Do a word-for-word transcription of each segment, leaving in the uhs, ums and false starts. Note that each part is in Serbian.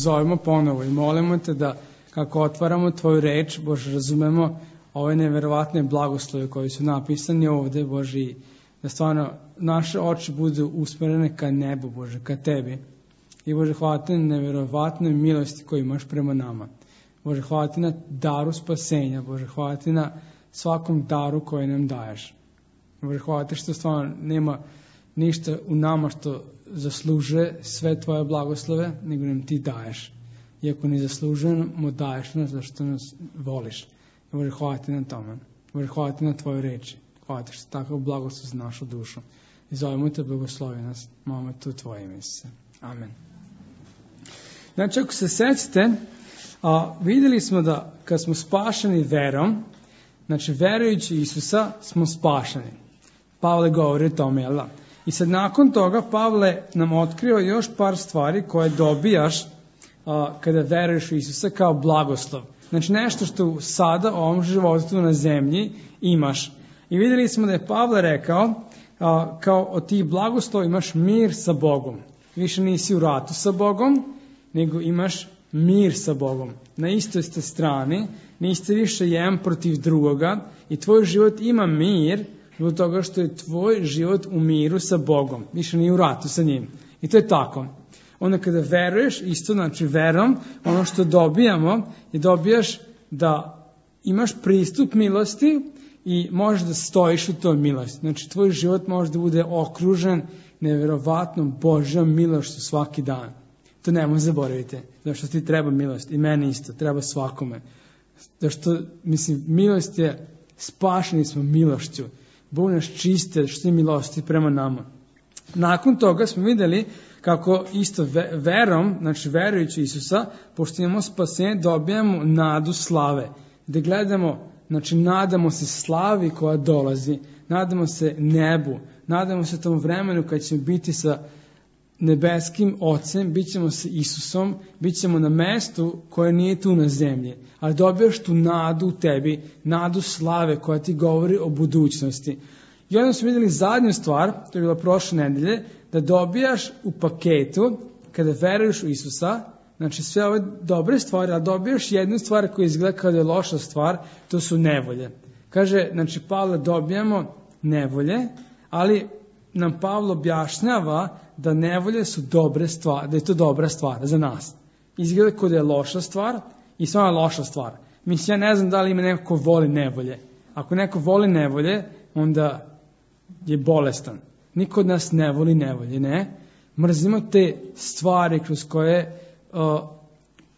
zovemo ponovo i molimo te da kako otvaramo tvoju reč, Bože, razumemo ove neverovatne blagoslove koji su napisani ovde, Bože, i da stvarno naše oči budu usmerene ka nebu, Bože, ka tebi. I Bože, hvala ti na neverovatnoj milosti koju imaš prema nama. Bože, hvala ti na daru spasenja, Bože, hvala ti na svakom daru koji nam daješ. Bože, hvala ti što stvarno nema ništa u nama što zaslužuje sve tvoje blagoslove, nego nam ti daješ. Iako ne zaslužujemo, daješ nas zašto nas voliš. Bože, hvala ti na tome. Bože, hvala ti na tvoju reči. Hvala ti što takav blagoslov za našu dušu. I zovemo te, blagoslovi nas. Molimo te u tvoje ime, Isuse. Amen. Znači, ako se sećate, a, vidjeli smo da kad smo spašeni verom, znači verujući Isusa smo spašeni. Pavle govori o tome, jel da? I sad nakon toga Pavle nam otkrio još par stvari koje dobijaš a, kada veruješ u Isusa kao blagoslov. Znači nešto što sada u ovom životu na zemlji imaš. I vidjeli smo da je Pavle rekao a, kao od tih blagoslova imaš mir sa Bogom. Više nisi u ratu sa Bogom, nego imaš mir sa Bogom. Na istoj ste strani, niste više jedan protiv drugoga i tvoj život ima mir zbog toga što je tvoj život u miru sa Bogom. Više nije u ratu sa njim. I to je tako. Onda kada veruješ, isto znači verom, ono što dobijamo je dobijaš da imaš pristup milosti i možeš da stojiš u toj milosti. Znači tvoj život može da bude okružen neverovatnom Božjom milošću svaki dan. To nemoj zaboravite, zašto ti treba milost. I meni isto, treba svakome. Zašto, mislim, milost je, spašeni smo milošću. Bog nas čiste što je milosti prema nama. Nakon toga smo vidjeli kako isto verom, znači verujući Isusa, pošto imamo spasenje, dobijamo nadu slave. Da gledamo, znači nadamo se slavi koja dolazi, nadamo se nebu, nadamo se tom vremenu kad ćemo biti sa nebeskim Ocem, bit ćemo sa Isusom, bit ćemo na mestu koje nije tu na zemlji. Ali dobijaš tu nadu u tebi, nadu slave koja ti govori o budućnosti. I onda smo vidjeli zadnju stvar, to je bila prošle nedelje, da dobijaš u paketu, kada veruješ u Isusa, znači sve ove dobre stvari, a dobijaš jednu stvar koja izgleda kao da je loša stvar, to su nevolje. Kaže, znači Pavle, dobijamo nevolje, ali nam Pavle objašnjava da nevolje su dobre stvari, da je to dobra stvar za nas. Izgleda kao da je loša stvar i samo je loša stvar. Mislim, ja ne znam da li ima neko ko voli nevolje. Ako neko voli nevolje, onda je bolestan. Niko od nas ne voli nevolje, ne? Mrzimo te stvari kroz koje uh,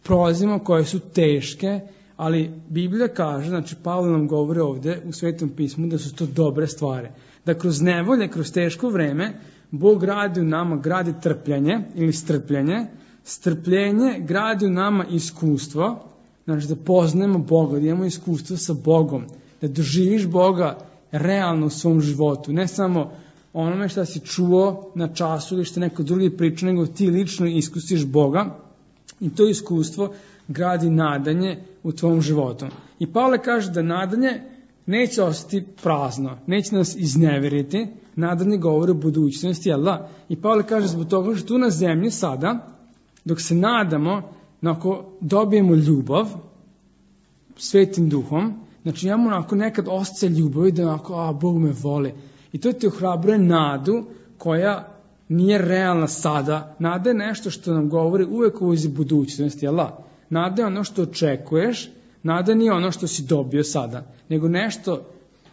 prolazimo, koje su teške, ali Biblija kaže, znači Pavle nam govori ovdje u Svetom pismu da su to dobre stvari. Da kroz nevolje, kroz teško vreme, Bog gradi u nama, gradi trpljenje ili strpljenje. Strpljenje gradi u nama iskustvo, znači da poznajemo Boga, da imamo iskustvo sa Bogom, da doživiš Boga realno u svom životu. Ne samo onome što si čuo na času ili što neko drugi priča, nego ti lično iskusiš Boga i to iskustvo gradi nadanje u tvom životu. I Pavle kaže da nadanje neće ostati prazno, neće nas izneveriti, nadanje govori o budućnosti, jel da? I Pavle kaže zbog toga što tu na zemlji sada, dok se nadamo, ako dobijemo ljubav Svetim Duhom, znači imamo onako nekad osjećaj ljubavi da onako, a Bog me voli. I to ti ohrabruje nadu koja nije realna sada. Nada je nešto što nam govori uvek u budućnosti, jel da? Nada je ono što očekuješ, nada nije ono što si dobio sada, nego nešto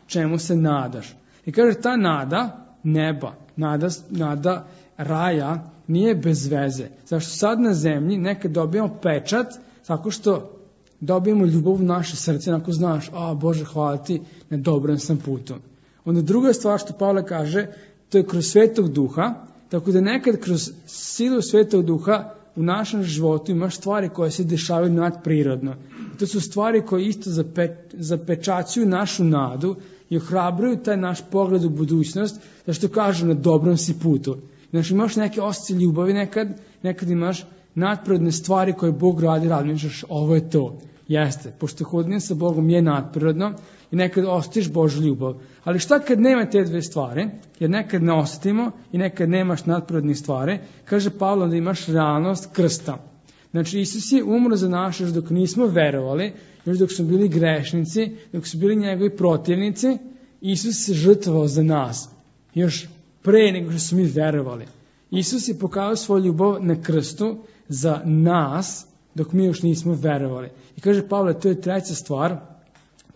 čemu se nadaš. I kaže, ta nada neba, nada, nada raja nije bez veze. Zašto sad na zemlji nekad dobijamo pečat tako što dobijemo ljubav u naše srce, ako znaš, a Bože, hvala ti, na dobrom sam putu. Onda druga stvar što Pavle kaže, to je kroz Svetog Duha, tako da nekad kroz silu Svetog Duha u našem životu imaš stvari koje se dešavaju nadprirodno. To su stvari koje isto zape, zapečaćuju našu nadu i ohrabruju taj naš pogled u budućnost, zašto kažu na dobrom si putu. Znači imaš neke osjećaje ljubavi nekad, nekad imaš nadprirodne stvari koje Bog radi, razmišljaš, ovo je to. Jeste, pošto hodnje sa Bogom je nadprirodno i nekad osjetiš Božju ljubav. Ali šta kad nema te dve stvari, jer nekad ne osjetimo i nekad nemaš nadprirodnih stvari, kaže Pavle da imaš realnost krsta. Znači, Isus je umro za naše još dok nismo verovali, još dok smo bili grešnici, dok su bili njegovi protivnici, Isus se žrtvovao za nas. Još pre nego što smo mi verovali. Isus je pokazao svoju ljubav na krstu za nas, dok mi još nismo verovali. I kaže Pavle, to je treća stvar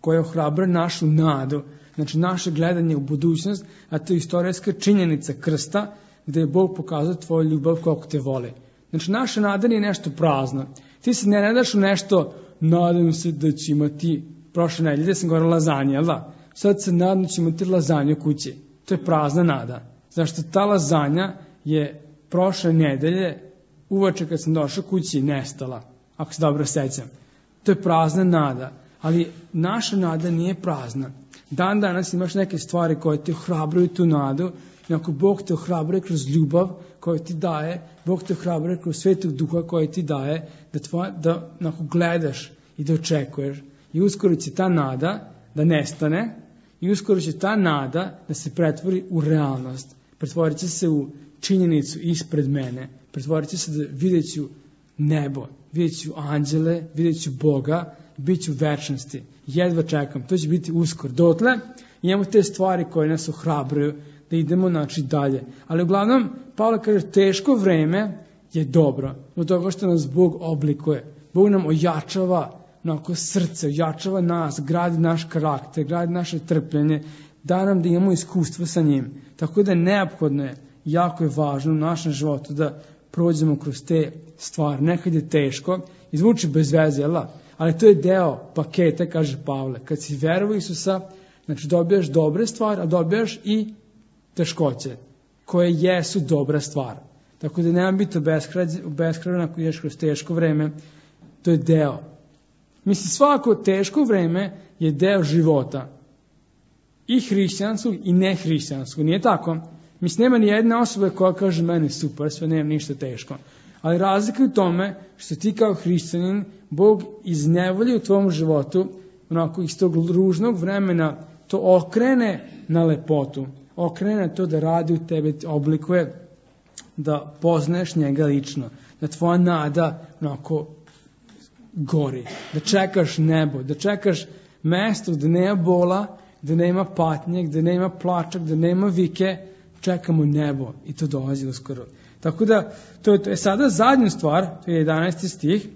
koja ohrabra našu nadu, znači naše gledanje u budućnost, a to je istorijska činjenica krsta, gde je Bog pokazao tvoju ljubav koliko te voli. Znači, naša nada nije nešto prazno. Ti se ne nadaš u nešto, nadam se da će imati, prošle nedelje sam govorila lazanje, jel da? Sad se nadam da će imati lazanje u kući. To je prazna nada. Zašto ta lazanja je prošle nedelje, uveče kad sam došao kući, nestala, ako se dobro sećam. To je prazna nada, ali naša nada nije prazna. Dan danas imaš neke stvari koje te ohrabruju tu nadu, i ako Bog te ohrabruje kroz ljubav koju ti daje, Bog te ohrabruje kroz Svetog Duha koji ti daje, da, tvoja, da ako gledaš i da očekuješ. I uskoro će ta nada da nestane, i uskoro će ta nada da se pretvori u realnost. Pretvorit će se u činjenicu ispred mene. Pretvorit će se da vidjet ću nebo, vidjet ću anđele, vidjet ću Boga, bit ću u večnosti. Jedva čekam, to će biti uskoro. Dotle imamo te stvari koje nas ohrabruju da idemo znači dalje. Ali uglavnom, Pavle kaže, teško vreme je dobro, od toga što nas Bog oblikuje. Bog nam ojačava onako srce, ojačava nas, gradi naš karakter, gradi naše trpljenje, da nam da imamo iskustvo sa njim. Tako da neophodno je, jako je važno u našem životu da prođemo kroz te stvari. Nekad je teško, izvuči bez veze, jel? Ali to je deo paketa, kaže Pavle. Kad si verovao Isusa, znači dobijaš dobre stvari, a dobijaš i teškoće, koje jesu dobra stvar. Tako da nema biti obeshrabren ako ideš kroz teško vreme, to je deo. Mislim, svako teško vreme je deo života. I hrišćanskog i nehrišćanskog. Nije tako? Mislim, nema ni jedna osoba koja kaže meni super, sve nema ništa teško. Ali razlika je u tome što ti kao hrišćanin, Bog iz nevolje u tvom životu, onako iz tog ružnog vremena, to okrene na lepotu. Okrene to da radi u tebe, oblikuje, da poznaješ njega lično. Da tvoja nada onako gori. Da čekaš nebo, da čekaš mesto gde nema bola, gde nema patnje, gde nema plača, gde nema vike, čekamo nebo i to dolazi uskoro. Tako da, to je, to je sada zadnja stvar, to je jedanaesti stih,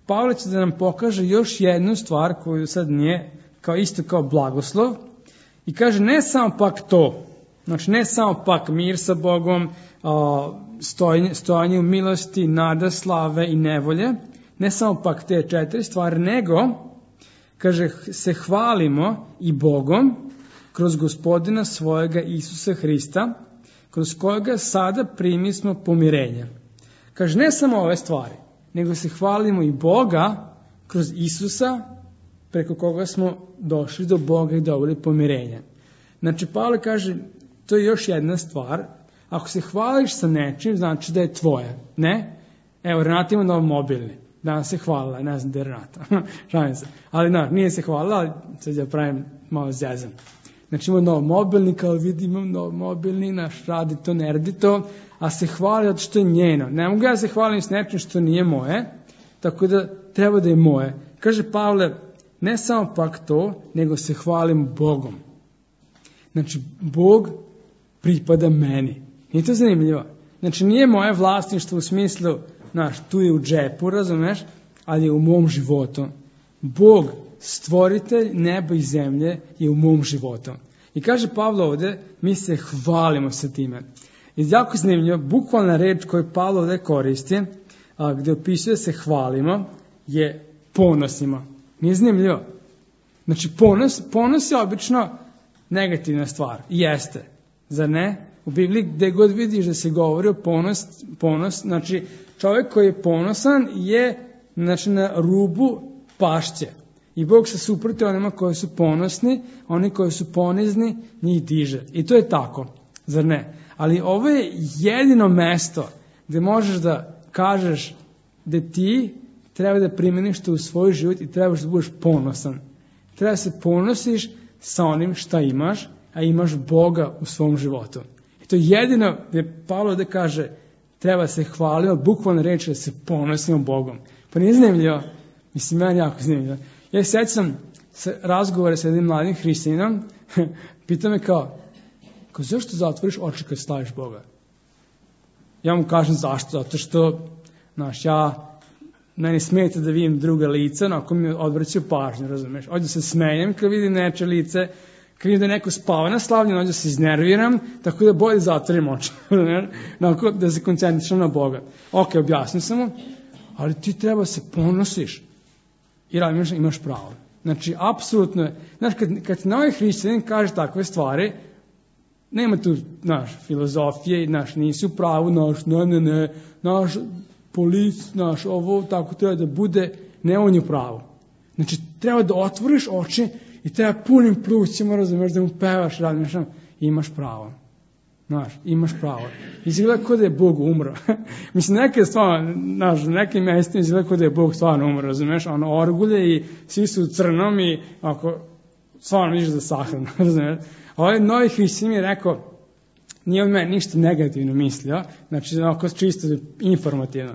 Pavle će da nam pokaže još jednu stvar koju sad nije, kao isto kao blagoslov, i kaže ne samo pak to, znači ne samo pak mir sa Bogom, stojanje, stojanje u milosti, nada, slave i nevolje, ne samo pak te četiri stvari, nego, kaže, se hvalimo i Bogom kroz Gospodina svojega Isusa Hrista, kroz kojega sada primismo pomirenje. Kaže, ne samo ove stvari, nego se hvalimo i Boga kroz Isusa, preko koga smo došli do Boga i dobili pomirenje. Znači, Pavle kaže, to je još jedna stvar, ako se hvališ sa nečim, znači da je tvoje, ne? Evo, Renata ima nov mobilni, danas se hvalila, ne znam da je Renata, šalim se, ali no, nije se hvalila, ali sad ja pravim malo zezam. Znači ima nov mobilni, kao vidi imam nov mobilni, naš radi to, ne radi to, a se hvali zato što je njeno. Ne mogu ja se hvalim s nečim što nije moje, tako da treba da je moje. Kaže Pavle, ne samo pak to, nego se hvalim Bogom. Znači, Bog pripada meni. Nije to zanimljivo? Znači, nije moje vlasništvo u smislu, znaš, tu je u džepu, razumeš, ali je u mom životu. Bog, stvoritelj neba i zemlje, je u mom životu. I kaže Pavle ovde, mi se hvalimo sa time. I jako zanimljivo, bukvalna reč koju Pavle ovde koristi, a, gde opisuje se hvalimo, je ponosimo. Nije zanimljivo? Znači, ponos, ponos je obično negativna stvar. I jeste. Zar ne? U Bibliji gde god vidiš da se govori o ponos, ponos, znači čovjek koji je ponosan je znači, na rubu pašće. I Bog se suproti onima koji su ponosni, oni koji su ponizni, njih diže. I to je tako. Zar ne? Ali ovo je jedino mesto gde možeš da kažeš da ti treba da primeniš to u svoj život i trebaš da budeš ponosan. Treba da se ponosiš sa onim šta imaš, a imaš Boga u svom životu. I to je jedino gde Pavle da kaže treba se hvalimo, bukvalno reći da se ponosimo Bogom. Pa nije zanimljivo? Mislim, meni jako zanimljivo. Ja se sjećam razgovore sa jednim mladim hrišćaninom, pita me kao, kao, zašto zatvoriš oči kad slaviš Boga? Ja mu kažem zašto, zato što, znaš, ja, meni smeta da vidim druga lica, no, ako mi odvraćaju pažnju, razumeš? Ovdje se smenjem kad vidim neče lice, kad vidim da neko spava na slavljenju, ovdje se iznerviram, tako da bolje zatvorim oči, onako da se koncentrišam na Boga. Ok, objasnio sam mu, ali ti treba se ponosiš, jer imaš, imaš pravo. Znači, apsolutno je, znaš, kad, kad ti novi hrišćanin kaže takve stvari, nema tu, znaš, filozofije, znaš, nisi u pravu, znaš, ne, ne, ne, naš polic, znaš, ovo tako treba da bude, ne on je u pravu. Znači, treba da otvoriš oči i treba punim plućima, razumeš, da mu pevaš, razumeš, imaš pravo. Znaš, imaš pravo. Izgleda kao da je Bog umro. Mislim, neke stvarno, znaš, nekim mjestima izgleda kao da je Bog stvarno umro, razumeš, ono orgulje i svi su u crnom i ako stvarno vidiš za sahranu, razumeš. A ovaj novi hrišćanin mi je rekao, nije od mene ništa negativno mislio, znači, onako čisto informativno,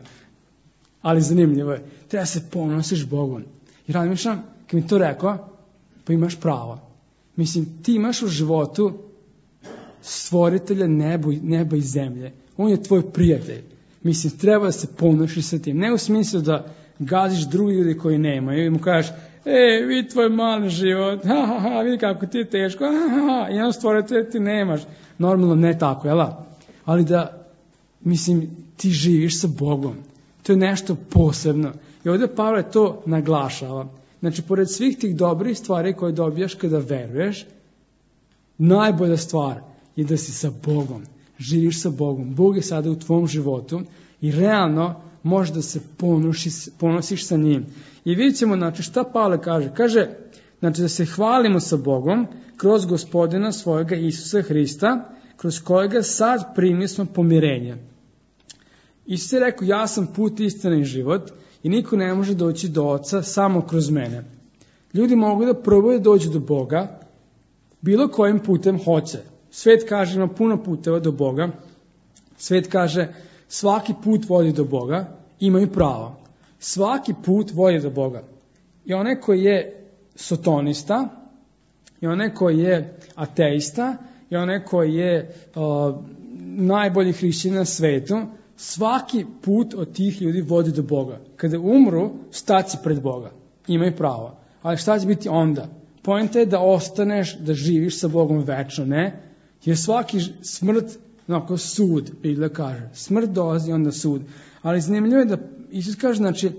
ali zanimljivo je, treba se ponosiš Bogom. I razmišljam, kad mi to rekao, pa imaš pravo. Mislim, ti imaš u životu stvoritelja nebo, neba i zemlje. On je tvoj prijatelj. Mislim, treba da se ponosiš sa tim. Ne u smislu da gaziš drugi ljudi koji nemaju i mu kažeš, e, vidi tvoj mali život, ha, ha, ha, vidi kako ti je teško, ha, ha, ha, i on stvoritelja ti nemaš. Normalno ne tako, jela? Ali da, mislim, ti živiš sa Bogom. To je nešto posebno. I ovdje Pavle to naglašava. Znači, pored svih tih dobrih stvari koje dobijaš kada veruješ, najbolja stvar je da si sa Bogom. Živiš sa Bogom. Bog je sada u tvom životu i realno možeš da se ponosiš, ponosiš sa njim. I vidjet ćemo, znači, šta Pavle kaže. Kaže, znači, da se hvalimo sa Bogom kroz Gospodina svojega Isusa Hrista, kroz kojega sad primili smo pomirenje. Isus je rekao, ja sam put, istina i život i niko ne može doći do Oca samo kroz mene. Ljudi mogu da probaju da dođu do Boga bilo kojim putem hoće. Svet kaže, ima puno puteva do Boga. Svet kaže, svaki put vodi do Boga, imaju pravo. Svaki put vodi do Boga. I onaj koji je sotonista, i onaj koji je ateista, i onaj koji je uh, najbolji hrišćanin na svetu, svaki put od tih ljudi vodi do Boga. Kada umru, staći pred Boga. Imaju pravo. Ali šta će biti onda? Poenta je da ostaneš, da živiš sa Bogom večno, ne? Jer svaki smrt, onako sud, Biblia kaže. Smrt dolazi, onda sud. Ali zanimljivo je da Isus kaže, znači,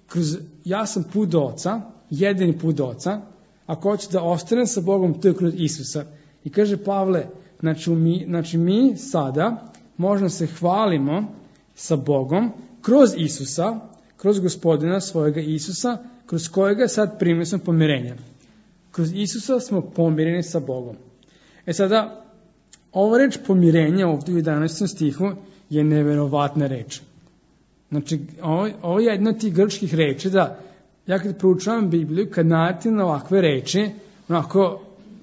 kroz, ja sam put do Oca, jedini put do Oca, ako hoćeš da ostanem sa Bogom, to je kroz Isusa. I kaže Pavle, znači mi, znači mi sada možemo se hvalimo sa Bogom kroz Isusa, kroz Gospodina svojega Isusa, kroz kojega sad primili smo pomirenje. Kroz Isusa smo pomireni sa Bogom. E sada, ova reč pomirenja ovdje u jedanaestom stihu je neverovatna reč. Znači, ovo, ovo je jedna od tih grčkih reči da ja kad proučavam Bibliju, kad natim na ovakve reči, onako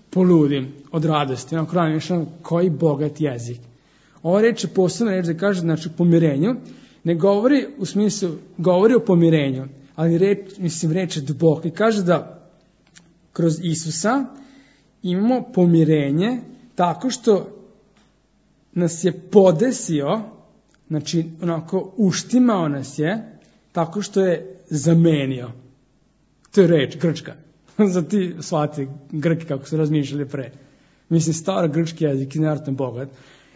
poludim od radosti, onako razmišljam koji bogat jezik. Ova reč je posebna reč da kaže, znači, pomirenju, ne govori u smislu, govori o pomirenju, ali reč, mislim, reč je duboka i kaže da kroz Isusa imamo pomirenje tako što nas je podesio, znači, onako uštimao nas je, tako što je zamenio. To je reč, grčka. Za ti shvati Grki kako su razmišljali pre. Mislim, stara grčki jezik je nevjerojatno bogat.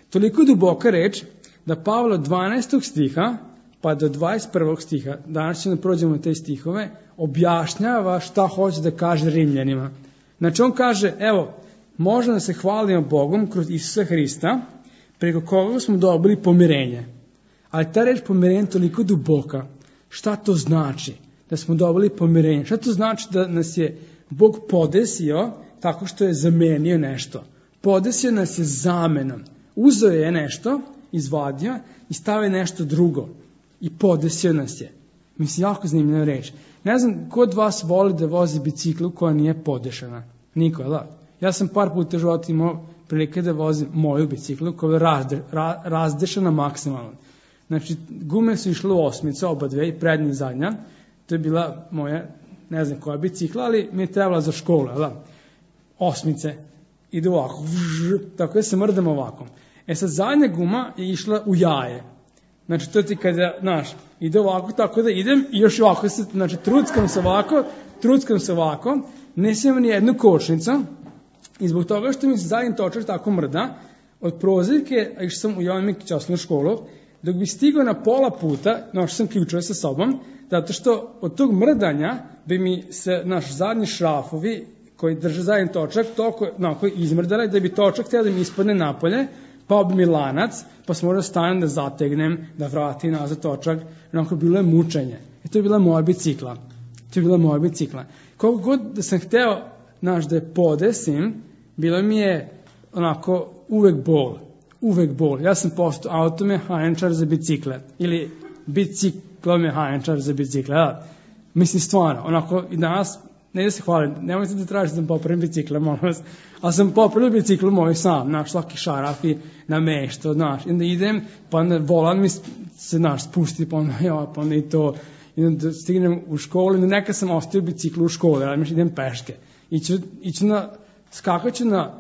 Toliko duboka reč da Pavle od dvanaestog stiha pa do dvadeset prvog stiha, danas ćemo prođemo te stihove, objašnjava šta hoće da kaže Rimljanima. Znači on kaže, evo, možemo da se hvalimo Bogom kroz Isusa Hrista, preko koga smo dobili pomirenje. Ali ta reč pomirenje je toliko duboka. Šta to znači da smo dobili pomirenje? Šta to znači da nas je Bog podesio tako što je zamenio nešto? Podesio nas je zamenom. Uzeo je nešto, izvadio i stavio nešto drugo. I podesio nas je. Mislim, jako zanimljiva reč. Ne znam, ko od vas voli da vozi biciklu koja nije podešana? Niko, da? Ja sam par puta u životu imao prilike da vozim moju biciklu koja je razde, ra, razdešana maksimalno. Znači, gume su išle u osmice, oba dve, i prednja i zadnja. To je bila moja, ne znam koja bicikla, ali mi je trebala za školu, da? Osmice. Ide ovako, vž, tako da se mrdam ovako. E sad, zadnja guma je išla u jaje. Znači, to ti kada, znaš, ide ovako, tako da idem i još ovako se, znači, truckam se ovako, truckam se ovako, ne smijem ni jednu kočnicu i zbog toga što mi se zadnji točak tako mrda, od prozirke, a išao sam u Jovan Mikić osnovnu školu, dok bi stigao na pola puta, našao sam ključeve sa sobom, zato što od tog mrdanja bi mi se naš zadnji šrafovi koji drže zadnji točak toliko onako izmrdali da bi točak htio da mi ispadne napolje, pa bi mi lanac, pa sam morao stanem da zategnem, da vratim nazad točak, onako bilo je mučenje. I to je bila moja bicikla. To je bila moja bicikla. Koliko god da sam hteo, znaš, da je podesim, bilo mi je onako uvek bol. Uvek bol. Ja sam postao automehaničar za bicikle. Ili biciklomehaničar za bicikle. Da. Mislim, stvarno, onako i danas, ne da se hvalim, nemojte da tražite da sam popravim bicikle, molim vas, ali sam popravio biciklu moj sam, znaš, svaki šaraf i namešto, znaš, i onda idem, pa onda volan mi se, znaš, spusti, pa onda, ja, pa onda i to, i onda stignem u školu, i neka sam ostavio biciklu u školu, ali mislim, idem peške, iću, iću na, skakaću na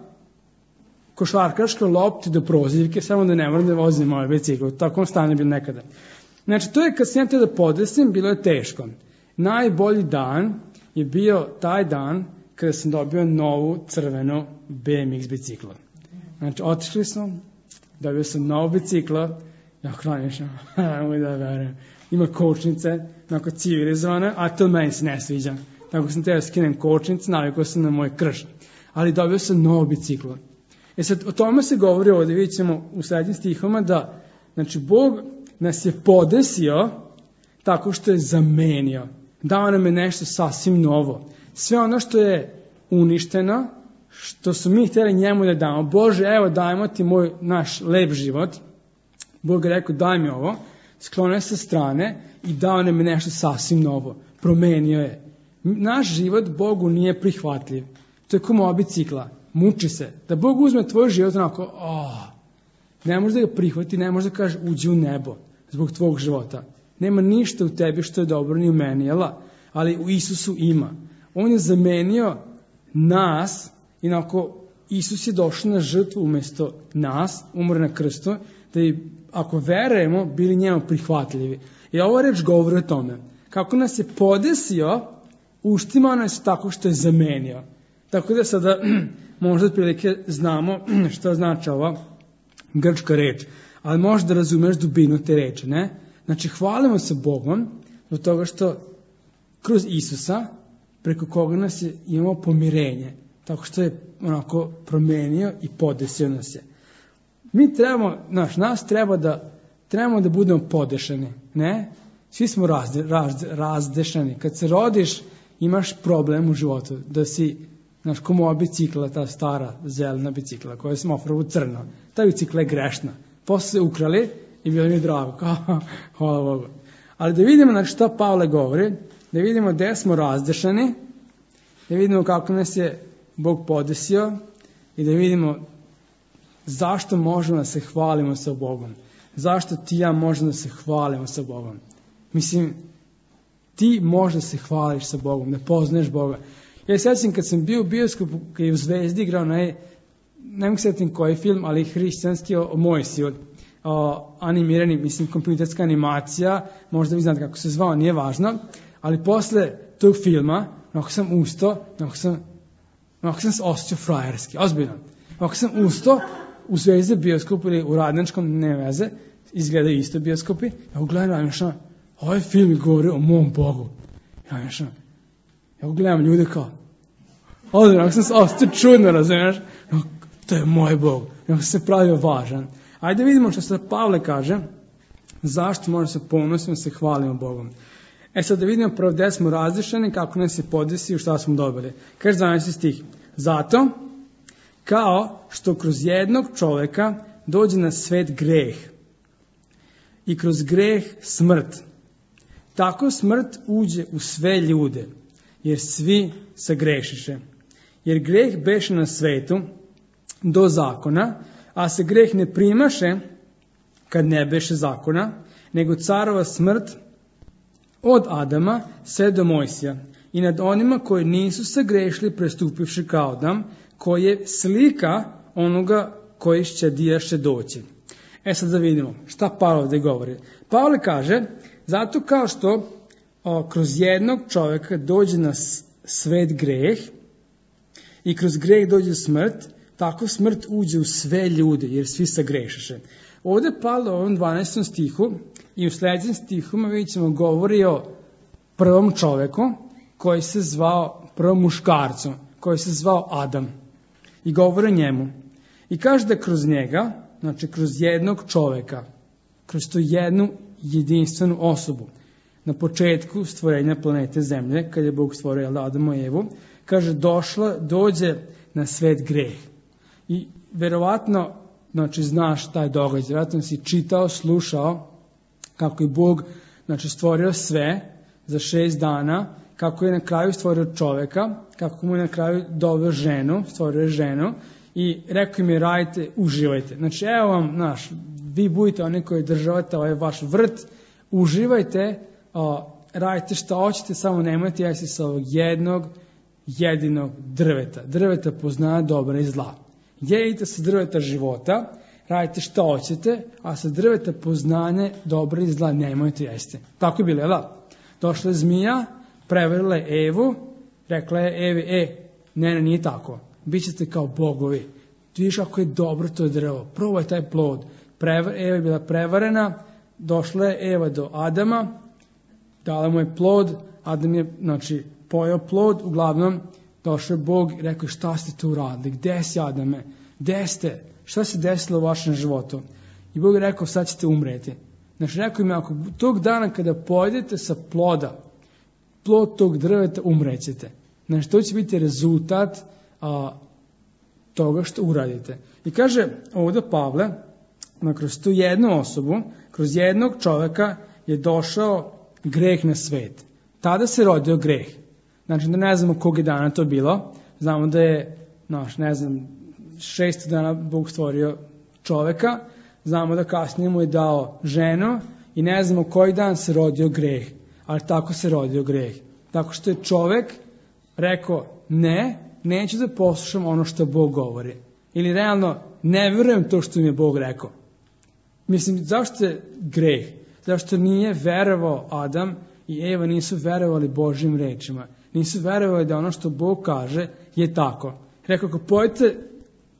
košarkaškoj lopti do prozivke, samo da ne moram da vozim moje biciklu, tako stane bil nekada. Znači, to je kad sam ja da podesim, bilo je teško. Najbolji dan je bio taj dan kada sam dobio novu crvenu B M X biciklu. Znači, otišli smo, dobio sam novu biciklu, ja hranišam, nemoj da verujem, ima kočnice, onako civilizovane, a to meni se ne sviđa. Tako sam teo skinem kočnice, navikao sam na moj krš. Ali dobio sam novu biciklu. E sad, o tome se govori ovdje, vidjet ćemo u srednjim stihoma da, znači, Bog nas je podesio tako što je zamenio. Dao nam je nešto sasvim novo. Sve ono što je uništeno, što su mi htjeli njemu da damo. Bože, evo dajmo ti moj, naš lep život. Bog je rekao, daj mi ovo. Sklonio sa strane i dao nam je nešto sasvim novo. Promenio je. Naš život Bogu nije prihvatljiv. To je kao moja bicikla. Muči se. Da Bog uzme tvoj život onako, oh, ne može da ga prihvati, ne može da kaže uđi u nebo zbog tvog života. Nema ništa u tebi što je dobro ni u meni, jela? Ali u Isusu ima. On je zamenio nas, inako Isus je došao na žrtvu umjesto nas, umro na krstu, da bi, ako verujemo, bili njemu prihvatljivi. I ova reč govori o tome. Kako nas je podesio, uštimao nas tako što je zamenio. Tako da sada možda otprilike znamo što znači ova grčka reč. Ali možda razumeš dubinu te reči, ne? Znači, hvalimo se Bogom zbog toga što kroz Isusa, preko koga nas je imao pomirenje, tako što je onako promenio i podesio nas je. Mi trebamo, znaš, nas treba da, trebamo da budemo podešeni, ne? Svi smo razde, razde, razdešani. Kad se rodiš, imaš problem u životu, da si, znaš, ko moja bicikla, ta stara zelena bicikla, koja sam ofrao crno. Ta bicikla je grešna. Posle se ukrali i bilo mi je drago, kao, hvala Bogu. Ali da vidimo, znači, šta Pavle govori, da vidimo gde smo razdešani, da vidimo kako nas je Bog podesio i da vidimo zašto možemo da se hvalimo sa Bogom. Zašto ti i ja možemo da se hvalimo sa Bogom. Mislim, ti možeš da se hvališ sa Bogom, da poznaješ Boga. Ja se sjećam kad sam bio u bioskopu, kad je u Zvezdi igrao, ne, ne mogu sjetim koji film, ali hrišćanski o, o Mojsiju, o, animirani, mislim, kompjuterska animacija, možda vi znate kako se zvao, nije važno, ali posle tog filma, onako sam ustao, onako sam, onako sam se osjećao frajerski, ozbiljno. Onako sam ustao u Zvezdi bioskopu ili u Radničkom, ne veze, izgledaju isto bioskopi, ja gledam, ja mišljam, ovaj film govori o mom Bogu. Ja mišljam, ja gledam ljude kao, ozbiljno, onako sam se osjećao čudno, razumiješ, to je moj Bog, onako sam se pravio važan. Ajde vidimo što se Pavle kaže, zašto možemo se ponositi, se hvalimo Bogom. E sad da vidimo prvo gde smo različeni, kako nas se podesi i šta smo dobili. Kaže dvanaesti stih. Zato, kao što kroz jednog čoveka dođe na svet greh i kroz greh smrt, tako smrt uđe u sve ljude, jer svi sagrešiše. Jer greh beše na svetu do zakona, a se greh ne primaše kad ne beše zakona, nego carova smrt od Adama sve do Mojsija i nad onima koji nisu sagrešili prestupivši kao Adam, koji je slika onoga koji će dijaše doći. E sad da vidimo šta Pavle ovdje govori. Pavle kaže, zato kao što o, kroz jednog čovjeka dođe na svet greh i kroz greh dođe smrt, tako smrt uđe u sve ljude, jer svi sagrešiše. Ovdje Pavle u ovom dvanaestom stihu i u sljedećem stihuma vidjet ćemo govori o prvom čovjeku koji se zvao, prvom muškarcu, koji se zvao Adam. I govori o njemu. I kaže da kroz njega, znači kroz jednog čovjeka, kroz tu jednu jedinstvenu osobu, na početku stvorenja planete Zemlje, kad je Bog stvorio Adama i Evu, kaže došla, dođe na svet greh. I verovatno, znači znaš taj događaj, vjerojatno si čitao, slušao kako je Bog, znači, stvorio sve za šest dana, kako je na kraju stvorio čovjeka, kako mu je na kraju doveo ženu, stvorio je ženu i rekao im je radite, uživajte. Znači evo vam, naš, vi budite oni koji državate ovaj vaš vrt, uživajte, o, radite šta hoćete, samo nemojte jesti sa ovog jednog jedinog drveta. Drveta poznaje dobra i zla. Jedite sa drveta života, radite šta hoćete, a sa drveta poznanje dobra i zla nemojte jesti. Tako je bilo, jel da? Došla je zmija, prevarila je Evu, rekla je Evi, e, ne, ne, nije tako. Bićete kao bogovi. Vidiš kako je dobro to drvo. Probaj taj plod. Prevar, Eva je bila prevarena, došla je Eva do Adama, dala mu je plod, Adam je, znači, pojeo plod, uglavnom došao je Bog i rekao šta ste tu uradili, gde si Adame, gde ste, šta se desilo u vašem životu? I Bog je rekao sad ćete umreti. Znači rekao im, ako tog dana kada pojedete sa ploda, plod tog drveta, umrećete. Znači to će biti rezultat a, toga što uradite. I kaže ovdje Pavle, da kroz tu jednu osobu, kroz jednog čovjeka je došao greh na svet. Tada se rodio greh. Znači da ne znamo kog je dana to bilo. Znamo da je, naš, ne znam, šest dana Bog stvorio čovjeka. Znamo da kasnije mu je dao ženu i ne znamo koji dan se rodio greh. Ali tako se rodio greh. Tako što je čovjek rekao ne, neću da poslušam ono što Bog govori. Ili realno ne vjerujem to što mi je Bog rekao. Mislim, zašto je greh? Zašto nije verovao Adam i Eva nisu verovali Božjim rečima. Nisu verovali da ono što Bog kaže je tako. Rekao, ako pojete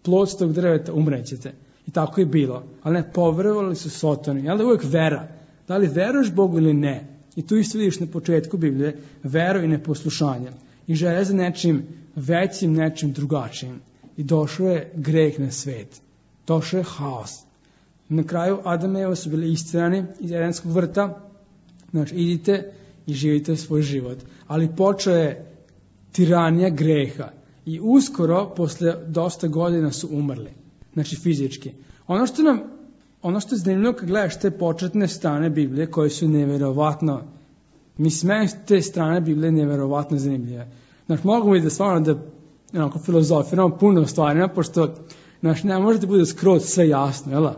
plod s tog drveta, umrećete. I tako je bilo. Ali ne, poverovali su Sotoni. Jel da uvijek vera? Da li veruješ Bogu ili ne? I tu isto vidiš na početku Biblije veru i neposlušanje. I želje za nečim većim, nečim drugačijim. I došao je greh na svet. Došao je haos. Na kraju Adam i Eva su bili istirani iz Edenskog vrta. Znači, idite i živite svoj život. Ali počeo je tiranija greha. I uskoro, posle dosta godina su umrli. Znači, fizički. Ono što nam, ono što je zanimljivo kad gledaš te početne strane Biblije, koje su neverovatno, mislim, te strane Biblije neverovatno zanimljive. Znači, mogu mi da stvarno da onako, filozofiramo puno stvarima, pošto znači, ne može da bude skroz sve jasno, jel?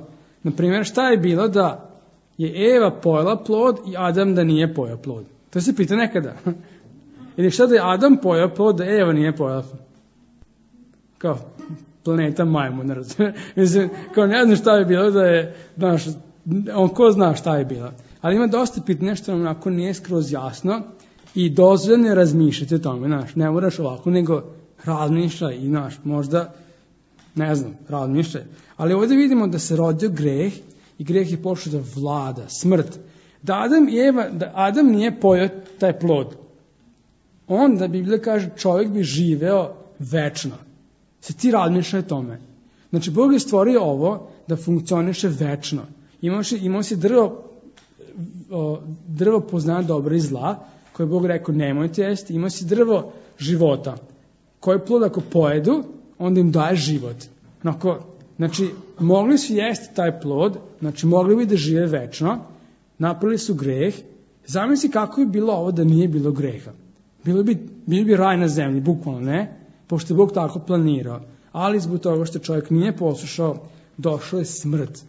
Naprimjer, šta je bilo da je Eva pojela plod i Adam da nije pojeo plod? To se pita nekada. Ili šta da je Adam pojeo plod da Eva nije pojela plod? Kao planeta majmun, ne razumijem. Mislim, kao ne znam šta je bilo da je, znaš, on ko zna šta je bilo. Ali ima dosta pitanja što nam onako nije skroz jasno i dozvoljeno razmišljati o tome, znaš, ne moraš ovako, nego razmišljaj i, znaš, možda, ne znam, razmišljaj. Ali ovdje vidimo da se rodio greh i greh je počeo da vlada, smrt. Da Adam i Eva, da Adam nije pojeo taj plod, onda Biblija kaže čovjek bi živeo večno. Se ti razmišljaj o tome. Znači, Bog je stvorio ovo da funkcioniše večno. Imao si, imao si drvo, o, drvo poznaje dobro i zla, koje Bog rekao nemojte jesti. Imao si drvo života, koje plod ako pojedu, onda im daje život. Onako, znači, mogli su jesti taj plod, znači mogli bi da žive večno, napravili su greh. Zamisli kako je bilo ovo da nije bilo greha. Bilo bi, bilo bi raj na zemlji, bukvalno ne, pošto je Bog tako planirao. Ali zbog toga što čovjek nije poslušao, došao je smrt,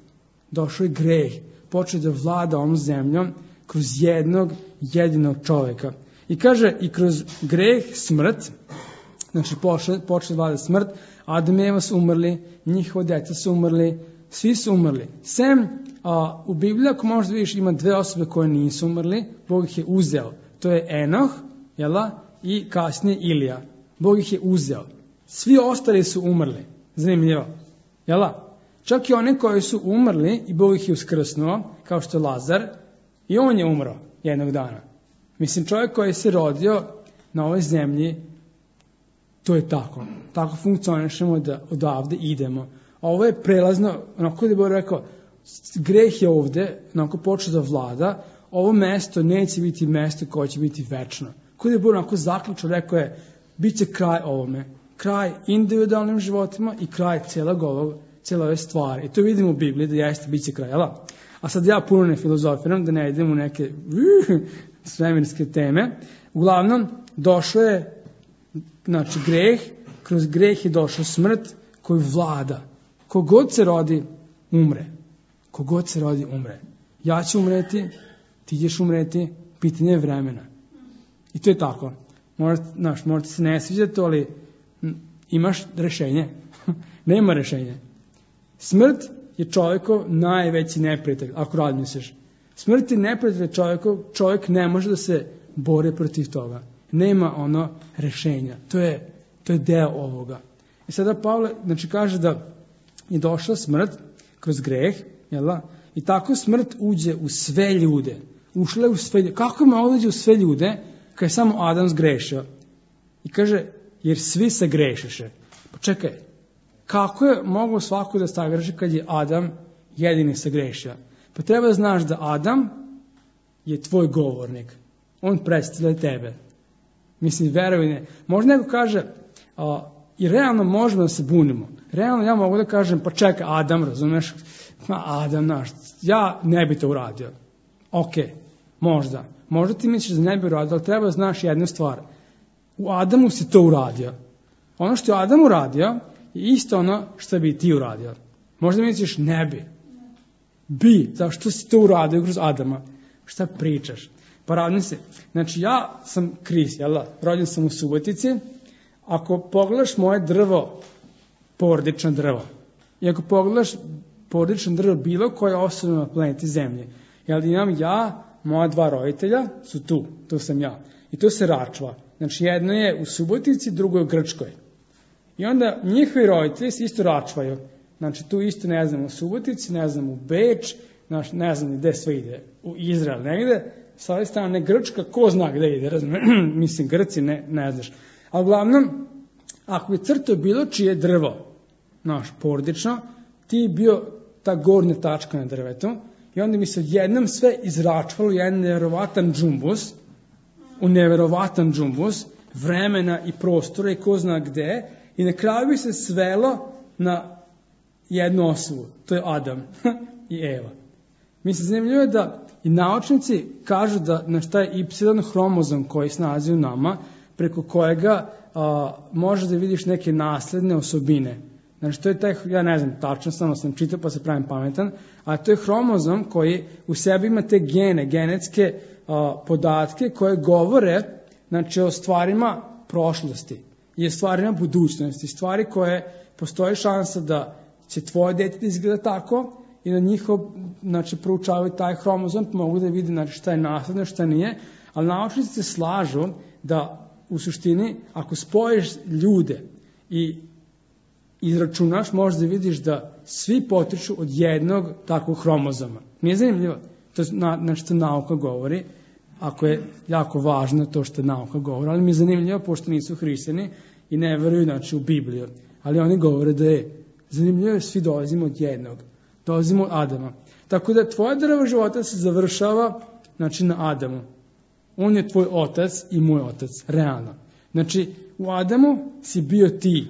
došao je greh, počeo da vlada ovom zemljom kroz jednog jedinog čoveka. I kaže, i kroz greh smrt, znači počeo da vlada smrt, Adam i Eva su umrli, njihova deca su umrli, svi su umrli. Sem, a, u Bibliji, ako možda vidiš, ima dve osobe koje nisu umrli, Bog ih je uzeo. To je Enoh, jela, i kasnije Ilija. Bog ih je uzeo. Svi ostali su umrli. Zanimljivo. Jela? Čak i oni koji su umrli i Bog ih je uskrsnuo, kao što je Lazar, i on je umro jednog dana. Mislim, čovjek koji se rodio na ovoj zemlji, to je tako. Tako funkcionišemo da odavde idemo. A ovo je prelazno, onako da je Bog rekao, greh je ovde, onako počeo da vlada, ovo mesto neće biti mesto koje će biti večno. Kada je Bog onako zaključio, rekao je, bit će kraj ovome. Kraj individualnim životima i kraj cijelog ovog, cijele ove stvari. I to vidimo u Bibliji da jeste, bit će kraj, jel? A sad ja puno ne filozofiram, da ne idem u neke svemirske teme. Uglavnom, došlo je, znači, greh, kroz greh je došla smrt koju vlada. Kogod se rodi, umre. Kogod se rodi, umre. Ja ću umreti, ti ćeš umreti, pitanje je vremena. I to je tako. Možete, znaš, možete se ne sviđati, ali imaš rešenje. Nema rešenja. Smrt je čovjekov najveći neprijatelj, ako razmisliš. Smrt je neprijatelj čovjekov, čovjek ne može da se bori protiv toga. Nema ono rešenja. To je, to je deo ovoga. I sada Pavle, znači, kaže da je došla smrt kroz greh, jel? I tako smrt uđe u sve ljude. Ušla je u sve ljude. Kako ima uđe u sve ljude kad je samo Adam zgrešio? I kaže, jer svi se grešiše. Pa čekaj, kako je moglo svako da sagreši kad je Adam jedini se grešio? Pa treba da znaš da Adam je tvoj govornik. On predstavlja tebe. Mislim, veruj ne. Možda neko kaže, a, i realno možemo da se bunimo. Realno ja mogu da kažem, pa čekaj, Adam, razumeš? Ma, Adam, naš, ja ne bi to uradio. Ok, možda. Možda ti misliš da ne bi uradio, ali treba da znaš jednu stvar. U Adamu si to uradio. Ono što je Adam uradio je isto ono što bi ti uradio. Možda misliš ne bi. Bi, zašto si to uradio kroz Adama? Šta pričaš? Pa radim se. Znači ja sam Kris, jel da? Rođen sam u Subotici. Ako pogledaš moje drvo, porodično drvo, i ako pogledaš porodično drvo bilo koje osobe na planeti Zemlje, jel imam ja, moja dva roditelja su tu, tu sam ja. I to se račva. Znači jedno je u Subotici, drugo je u Grčkoj. I onda njihovi roditelji se isto račvaju. Znači tu isto ne znam u Subotici, ne znam u Beč, znači, ne znam gde sve ide. U Izrael negde, sa ove strane Grčka, ko zna gde ide, razumiješ? Mislim, Grci ne, ne znaš. A uglavnom, ako bi crtao bilo čije drvo, naš porodično, ti je bio ta gornja tačka na drvetu i onda mi se odjednom sve izračvalo jedan neverovatan džumbus, u neverovatan džumbus, vremena i prostora i ko zna gde, i na kraju bi se svelo na jednu osobu, to je Adam i Eva. Mislim, zanimljivo je da i naučnici kažu da na šta je Y hromozom koji se nalazi u nama, preko kojega a, može da vidiš neke nasledne osobine. Znači, to je taj, ja ne znam, tačno samo sam čitao pa se pravim pametan, a to je hromozom koji u sebi ima te gene, genetske a, podatke koje govore, znači, o stvarima prošlosti i o stvarima budućnosti, stvari koje postoji šansa da će tvoje dete da izgleda tako i da njihov, znači, proučavaju taj hromozom, mogu da vidi, znači, šta je nasledno, šta nije, ali naučnici se slažu da u suštini, ako spojiš ljude i izračunaš, možeš da vidiš da svi potiču od jednog takvog hromozoma. Nije zanimljivo? To je na što nauka govori, ako je jako važno to što nauka govori, ali mi je zanimljivo, pošto nisu hrišćani i ne veruju, znači, u Bibliju. Ali oni govore da je zanimljivo, svi dolazimo od jednog. Dolazimo od Adama. Tako da tvoja drva života se završava, znači, na Adamu. On je tvoj otac i moj otac, realno. Znači, u Adamu si bio ti,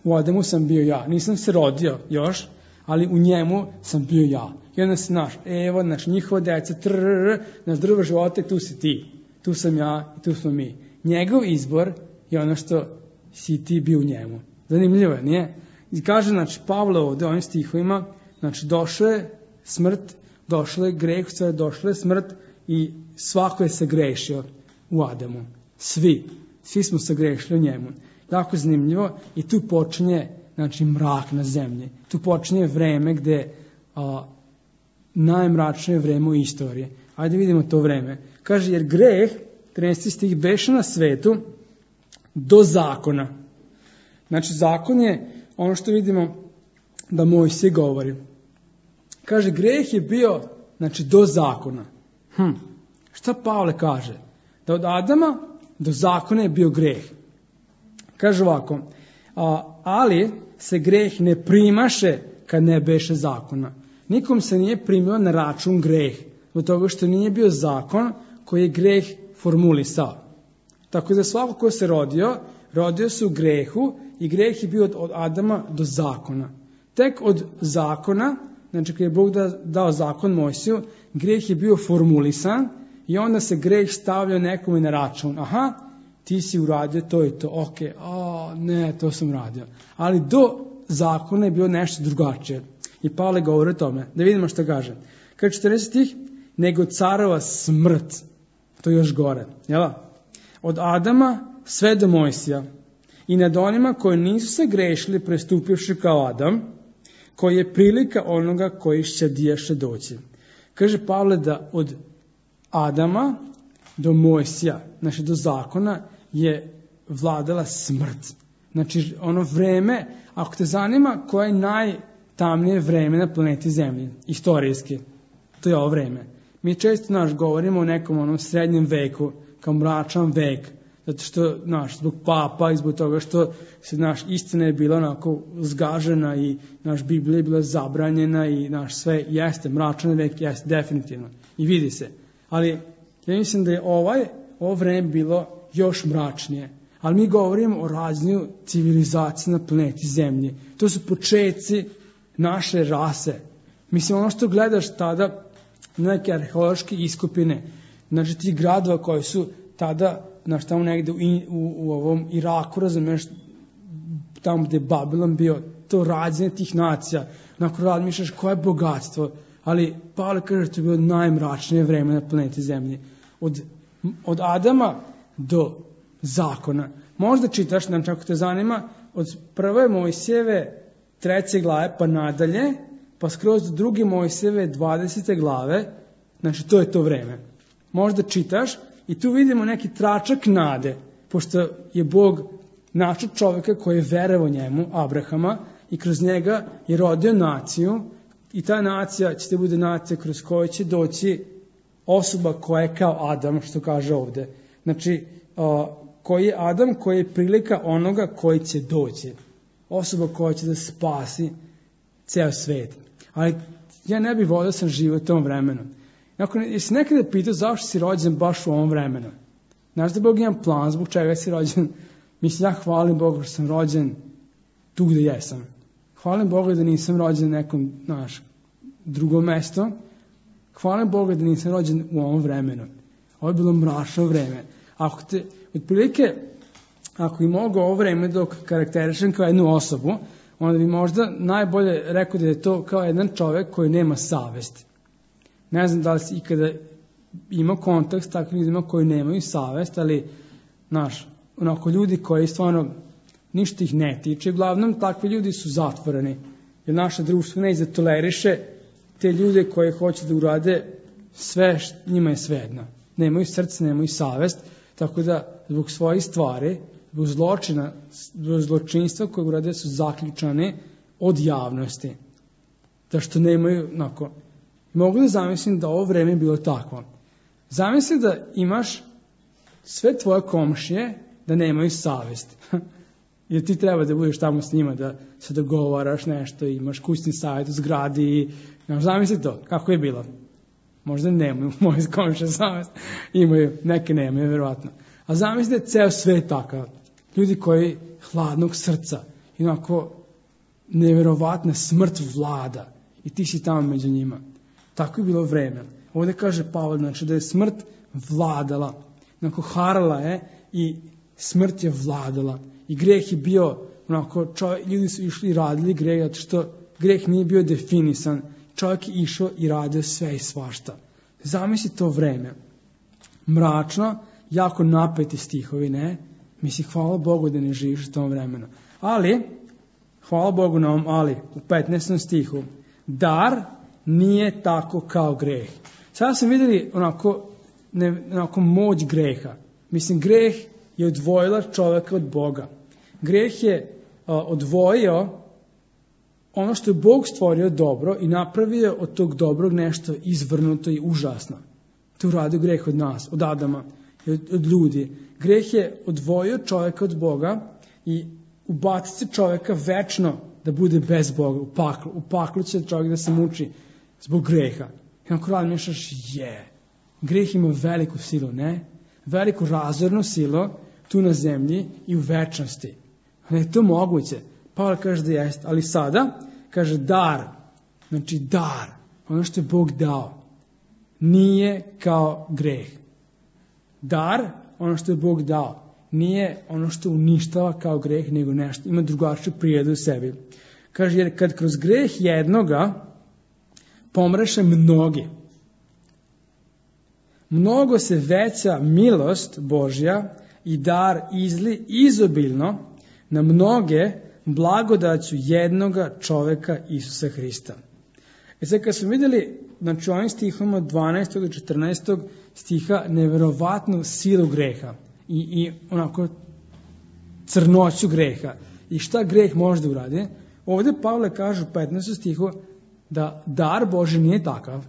u Adamu sam bio ja. Nisam se rodio još, ali u njemu sam bio ja. I onda se naš, evo, naš njihova deca, trrrr, naš drvo života, tu si ti. Tu sam ja i tu smo mi. Njegov izbor je ono što si ti bio u njemu. Zanimljivo je, nije? I kaže, znači, Pavle ovde, ovim stihovima, znači, došao je smrt došlo je greh, sve došla je smrt i svako je sagrešio u Adamu. Svi. Svi smo sagrešili u njemu. Jako zanimljivo i tu počinje, znači, mrak na zemlji. Tu počinje vreme gde a, najmračnije vreme u istoriji. Ajde vidimo to vreme. Kaže, jer greh, trinaesti stih, beše na svetu do zakona. Znači, zakon je ono što vidimo da Mojsije govori. Kaže, greh je bio, znači, do zakona. Hm. Šta Pavle kaže? Da od Adama do zakona je bio greh. Kaže ovako, a, ali se greh ne primaše kad ne beše zakona. Nikom se nije primio na račun greh, od toga što nije bio zakon koji je greh formulisao. Tako da svako ko se rodio, rodio se u grehu i greh je bio od, od Adama do zakona. Tek od zakona, znači kad je Bog da, dao zakon Mojsiju, greh je bio formulisan i onda se greh stavljao nekome na račun. Aha, ti si uradio to i to, ok, o, ne, to sam uradio. Ali do zakona je bilo nešto drugačije. I Pavle govori o tome. Da vidimo što kaže. Kad četrnaesti stih, nego carova smrt. To je još gore. Jel? Od Adama sve do Mojsija. I nad onima koji nisu se grešili prestupivši kao Adam, koji je prilika onoga koji će diješe doći. Kaže Pavle da od Adama do Mojsija, znači do zakona, je vladala smrt. Znači ono vreme, ako te zanima koje je najtamnije vreme na planeti Zemlji, istorijski, to je ovo vreme. Mi često naš govorimo o nekom onom srednjem veku, kao mračan vek, zato što naš zbog papa i zbog toga što se naš istina je bila onako zgažena i naš Biblija je bila zabranjena i naš sve jeste, mračan vek jeste definitivno i vidi se. Ali ja mislim da je ovaj, ovo vreme bilo još mračnije. Ali mi govorimo o razvoju civilizacije na planeti Zemlji. To su početci naše rase. Mislim, ono što gledaš tada, neke arheološke iskopine, znači ti gradova koji su tada, znaš, tamo negde u, u, u ovom Iraku, razumeš, tamo gde je Babilon bio, to rađenje tih nacija, onako razmišljaš koje je bogatstvo, ali Pavle kaže to je bilo najmračnije vreme na planeti Zemlji. Od, od Adama do zakona. Možda čitaš, znači ako te zanima, od prve Mojsijeve treće glave pa nadalje, pa skroz do druge Mojsijeve dvadesete glave, znači to je to vreme. Možda čitaš i tu vidimo neki tračak nade, pošto je Bog našao čovjeka koji je verovao njemu, Abrahama, i kroz njega je rodio naciju i ta nacija će te bude nacija kroz koju će doći osoba koja je kao Adam, što kaže ovde. Znači, uh, koji je Adam, koji je prilika onoga koji će doći. Osoba koja će da spasi ceo svet. Ali ja ne bih volio da sam živio u tom vremenu. Nakon, jesi nekada pitao zašto si rođen baš u ovom vremenu? Znaš da Bog ima plan zbog čega si rođen? Mislim, ja hvalim Bogu što sam rođen tu gde jesam. Hvalim Bogu da nisam rođen nekom, znaš, drugom mesto. Hvalim Bogu da nisam rođen u ovom vremenu. Ovo je bilo mračno vreme. Ako te, otprilike, ako i mogu ovo vreme dok karakterišem kao jednu osobu, onda bi možda najbolje rekao da je to kao jedan čovjek koji nema savesti. Ne znam da li si ikada imao kontakt s takvim ljudima koji nemaju savest, ali, znaš, onako ljudi koji stvarno ništa ih ne tiče, uglavnom takvi ljudi su zatvoreni, jer naše društvo ne izatoleriše te ljude koji hoće da urade sve, njima je svejedno. Nemaju srce, nemaju savest, tako da zbog svojih stvari, zbog zločina, zbog zločinstva koje urade su zaključane od javnosti. Da što nemaju, onako, mogu da zamislim da ovo vreme je bilo takvo. Zamisli da imaš sve tvoje komšije da nemaju savest. Jer ti treba da budeš tamo s njima, da se dogovaraš nešto, imaš kućni savjet u zgradi i zamisli to, kako je bilo. Možda nemaju moje komšije savest, imaju, neke nemaju, verovatno. A zamisli da je ceo svet takav. Ljudi koji hladnog srca, i onako neverovatna smrt vlada i ti si tamo među njima. Tako je bilo vreme. Ovdje kaže Pavle, znači da je smrt vladala. Onako harala je i smrt je vladala. I greh je bio, onako, čovjek, ljudi su išli i radili greh, zato što greh nije bio definisan. čovjek je išao i radio sve i svašta. Zamisli to vreme. Mračno, jako napeti stihovi, ne? Mislim, hvala Bogu da ne živiš u tom vremenu. Ali, hvala Bogu na ovom ali, u petnaestom stihu, dar nije tako kao greh. Sada smo vidjeli onako, ne, onako moć greha. Mislim, greh je odvojila čovjeka od Boga. Greh je a, odvojio ono što je Bog stvorio dobro i napravio od tog dobrog nešto izvrnuto i užasno. To uradio greh od nas, od Adama i od, od ljudi. Greh je odvojio čovjeka od Boga i ubaciti se čovjeka večno da bude bez Boga, u paklu. U paklu će čovjek da se muči zbog greha. I onako razmišljaš, je, greh ima veliku silu, ne? Veliku razornu silu tu na zemlji i u večnosti. Ali je to moguće. Pavle kaže da jeste, ali sada kaže dar, znači dar, ono što je Bog dao, nije kao greh. Dar, ono što je Bog dao, nije ono što uništava kao greh, nego nešto, ima drugačiju prirodu u sebi. Kaže, jer kad kroz greh jednoga pomreše mnogi, mnogo se veća milost Božja i dar izli izobilno na mnoge blagodaću jednoga čoveka Isusa Hrista. E sad kad smo vidjeli, znači ovim stihom od dvanaestog do četrnaestog stiha, neverovatnu silu greha i, i onako crnoću greha i šta greh može da uradi. Ovdje Pavle kaže u petnaestom stihu da dar Božji nije takav.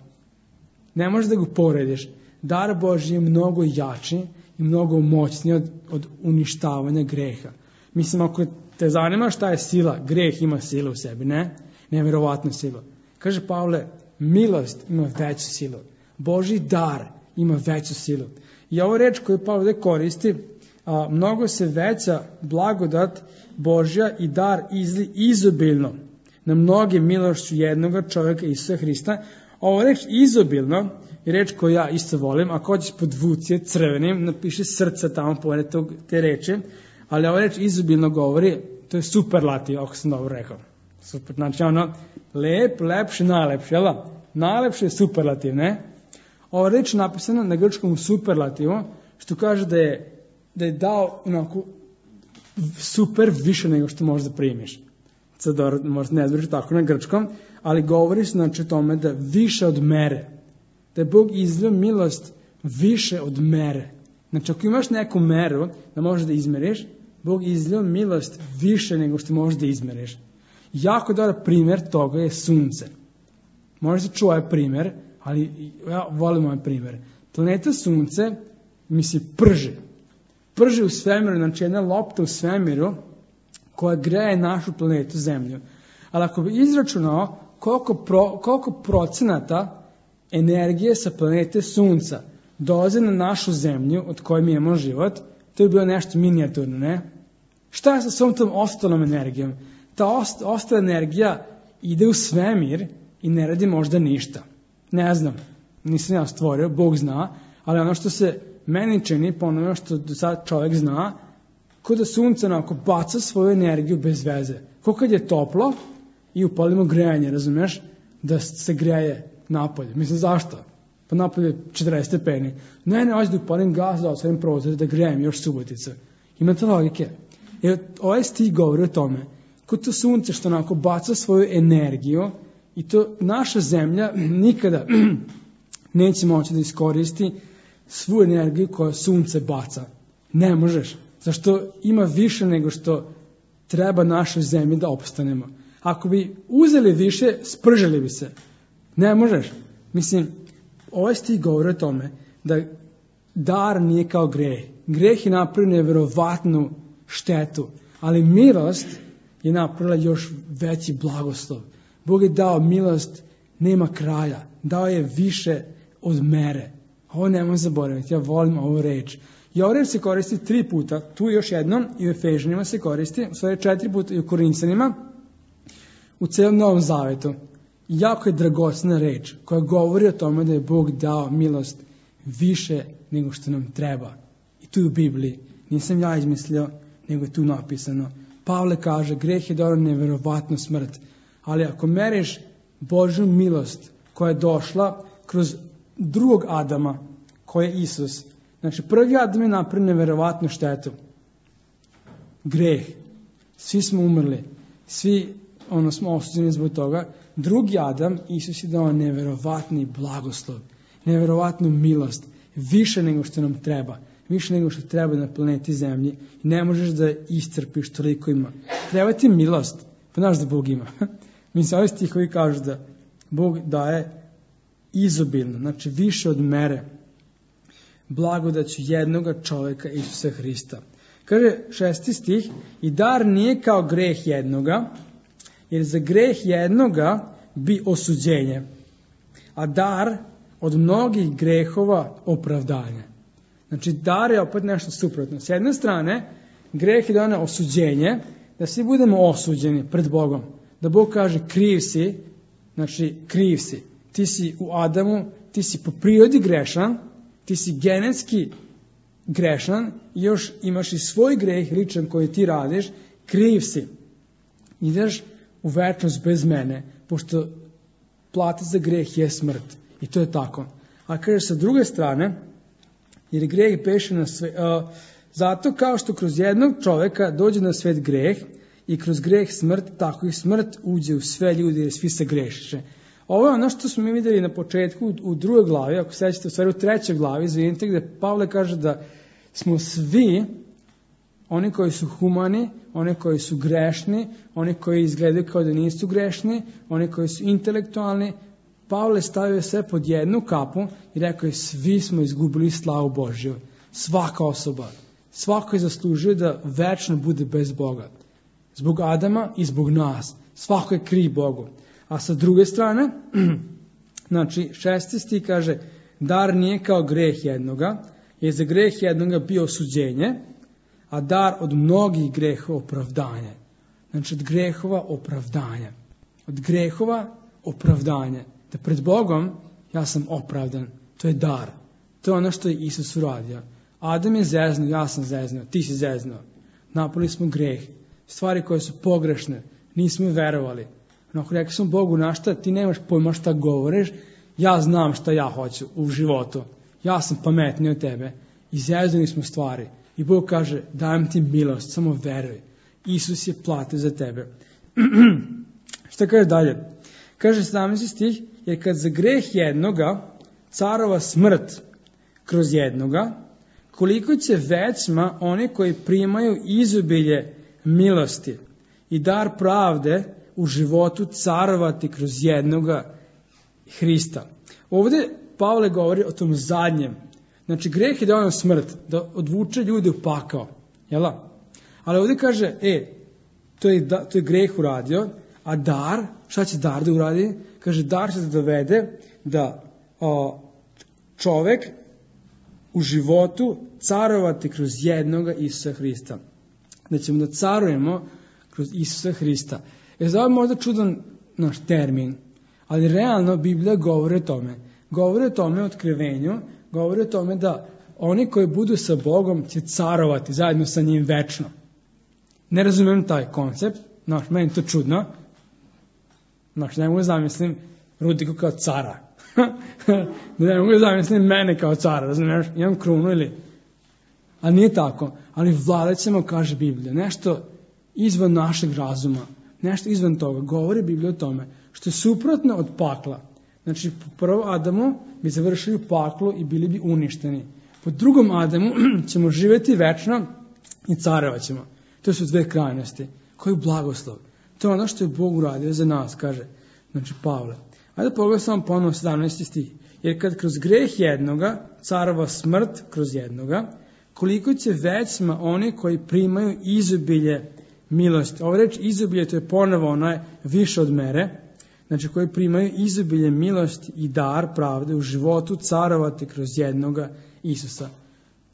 Ne možeš da ga porediš. Dar Božji je mnogo jači i mnogo moćniji od, od uništavanja greha. Mislim, ako te zanima šta je sila, greh ima silu u sebi, ne? Neverovatnu silu. Kaže Pavle, milost ima veću silu. Božji dar ima veću silu. I ovo reč koju Pavle koristi, a, mnogo se veća blagodat Božja i dar izli izobilno na mnoge milošću jednoga čovjeka Isusa Hrista. Ovo reč izobilno je reč koju ja isto volim. Ako hoćeš podvuci je crvenim, napiši srca tamo pored tog, te reči. Ali ovo reč izobilno govori, to je superlativ, ako sam dobro rekao. Super, znači ono, lep, lepši, najlepši, jel da? Najlepši je superlativ, ne? Ovo reč je napisano na grčkom superlativu, što kaže da je, da je dao onako super više nego što možeš da primiš. Sad dobro, možda ne zbriš tako na grčkom, ali govori se znači o tome da više od mere. Da je Bog izlio milost više od mere. Znači ako imaš neku meru da možeš da izmeriš, Bog izlio milost više nego što možeš da izmeriš. Jako dobar primjer toga je sunce. Možda se čuo ovaj primjer, ali ja volim ovaj primjer. Planeta sunce mi se prži. Prži u svemiru, znači jedna lopta u svemiru koja greje našu planetu Zemlju. Ali ako bi izračunao koliko, pro, koliko procenata energije sa planete sunca dolaze na našu Zemlju od koje mi imamo život, to je bilo nešto minijaturno, ne? Šta je sa svom tom ostalom energijom? Ta ost, ostala energija ide u svemir i ne radi možda ništa. Ne znam, nisam ja stvorio, Bog zna, ali ono što se meni čini, po onome što do sad čovjek zna, kao da sunce onako baca svoju energiju bez veze. Kao kad je toplo i upalimo grejanje, razumiješ? Da se greje napolje. Mislim, zašto? Pa napolje četrdeset stepeni. Ne, ne, hoću da upalim gas, da otvorim prozor, da grejem još Subotica. Imate logike. I ovaj stih govori o tome. Kod to sunce što onako baca svoju energiju i to naša zemlja nikada neće moći da iskoristi svu energiju koju sunce baca. Ne možeš. Zašto ima više nego što treba našoj zemlji da opstanemo. Ako bi uzeli više, spržili bi se. Ne možeš. Mislim, ovaj stih govori o tome da dar nije kao greh. Greh je napravio nevjerovatnu štetu, ali milost je napravila još veći blagoslov. Bog je dao milost, nema kraja. Dao je više od mere. Ovo nemoj zaboraviti, ja volim ovu reč. I ovu reč se koristi tri puta, tu još jednom i u Efežanima se koristi, u stvari četiri puta i u Korinćanima, u celom Novom Zavetu. Jako je dragocena reč koja govori o tome da je Bog dao milost više nego što nam treba. I tu u Bibliji. Nisam ja izmislio, nego je tu napisano. Pavle kaže, greh je dao neverovatnu smrt. Ali ako meriš Božju milost koja je došla kroz drugog Adama, koji je Isus. Znači, prvi Adam je napravio neverovatnu štetu. Greh. Svi smo umrli. Svi ono, smo osuđeni zbog toga. Drugi Adam, Isus je dao neverovatni blagoslov, neverovatnu milost, više nego što nam treba, više nego što treba na planeti Zemlji. I ne možeš da iscrpiš, toliko ima. Treba ti milost, pa znaš da Bog ima. Mi se ovi stihovi kažu da Bog daje izobilno, znači više od mere, blagodaću jednoga čoveka Isusa Hrista. Kaže šesti stih, i dar nije kao greh jednoga, jer za greh jednoga bi osuđenje, a dar od mnogih grehova opravdanje. Znači, dar je opet nešto suprotno. S jedne strane, greh je da ono osuđenje, da svi budemo osuđeni pred Bogom. Da Bog kaže, kriv si, znači, kriv si. Ti si u Adamu, ti si po prirodi grešan, ti si genetski grešan i još imaš i svoj greh ličan koji ti radiš, kriv si. Ideš u večnost bez mene, pošto plata za greh je smrt. I to je tako. A kaže sa druge strane, jer greh beše na sve, uh, zato kao što kroz jednog čoveka dođe na svet greh i kroz greh smrt, tako i smrt uđe u sve ljude jer svi se grešiše. Ovo je ono što smo mi vidjeli na početku u, u drugoj glavi, ako sećate u stvari u trećoj glavi, izvinite, gde Pavle kaže da smo svi, oni koji su humani, oni koji su grešni, oni koji izgledaju kao da nisu grešni, oni koji su intelektualni, Pavle stavio sve pod jednu kapu i rekao je svi smo izgubili slavu Božju. Svaka osoba. Svako je zaslužio da večno bude bez Boga. Zbog Adama i zbog nas. Svako je kriv Bogu. A sa druge strane, znači šesti stih kaže, dar nije kao greh jednoga, jer za greh jednoga bio osuđenje, a dar od mnogih grehova opravdanje. Znači od grehova opravdanje. Od grehova opravdanje. Da pred Bogom ja sam opravdan. To je dar. To je ono što je Isus uradio. Adam je zeznuo, ja sam zeznuo, ti si zeznuo. Napravili smo greh. Stvari koje su pogrešne. Nismo verovali. Ako rekli smo Bogu na šta, ti nemaš pojma šta govoriš, ja znam šta ja hoću u životu. Ja sam pametniji od tebe. I zeznuli smo stvari. I Bog kaže, dajem ti milost, samo veruj. Isus je platio za tebe. Šta kaže dalje? Kaže sedamnaesti stih, jer kad za greh jednoga carova smrt kroz jednoga, koliko će većma oni koji primaju izobilje milosti i dar pravde u životu carovati kroz jednoga Hrista. Ovdje Pavle govori o tom zadnjem. Znači greh je da ono smrt, da odvuče ljude u pakao. Jela? Ali ovdje kaže, e, to je, da, to je greh uradio, a dar, šta će dar da uradi? Kaže, dar će da dovede da o, čovek u životu carovati kroz jednoga Isusa Hrista. Da ćemo da carujemo kroz Isusa Hrista. Je za ovo možda čudan naš termin, ali realno Biblija govori o tome. Govori o tome o otkrivenju, govori o tome da oni koji budu sa Bogom će carovati zajedno sa njim večno. Ne razumijem taj koncept, znaš, meni to čudno. Znaš, ne mogu zamislim Rudiku kao cara. Ne mogu zamislim mene kao cara, razumiješ, imam krunu ili... A nije tako, ali vladat ćemo, kaže Biblija, nešto izvan našeg razuma, nešto izvan toga. Govori Biblija o tome, što je suprotno od pakla. Znači, po prvom Adamu bi završili u paklu i bili bi uništeni. Po drugom Adamu ćemo živjeti večno i carovat ćemo. To su dve krajnosti. Koji blagoslov. To je ono što je Bog uradio za nas, kaže znači Pavle. Ajde pogledaj samo ponovno sedamnaesti stih. Jer kad kroz greh jednoga carova smrt kroz jednoga, koliko će većma oni koji primaju izobilje milosti. Ovo reč izobilje, to je ponovo onaj više od mere. Znači koji primaju izobilje milosti i dar pravde u životu carovati kroz jednoga Isusa.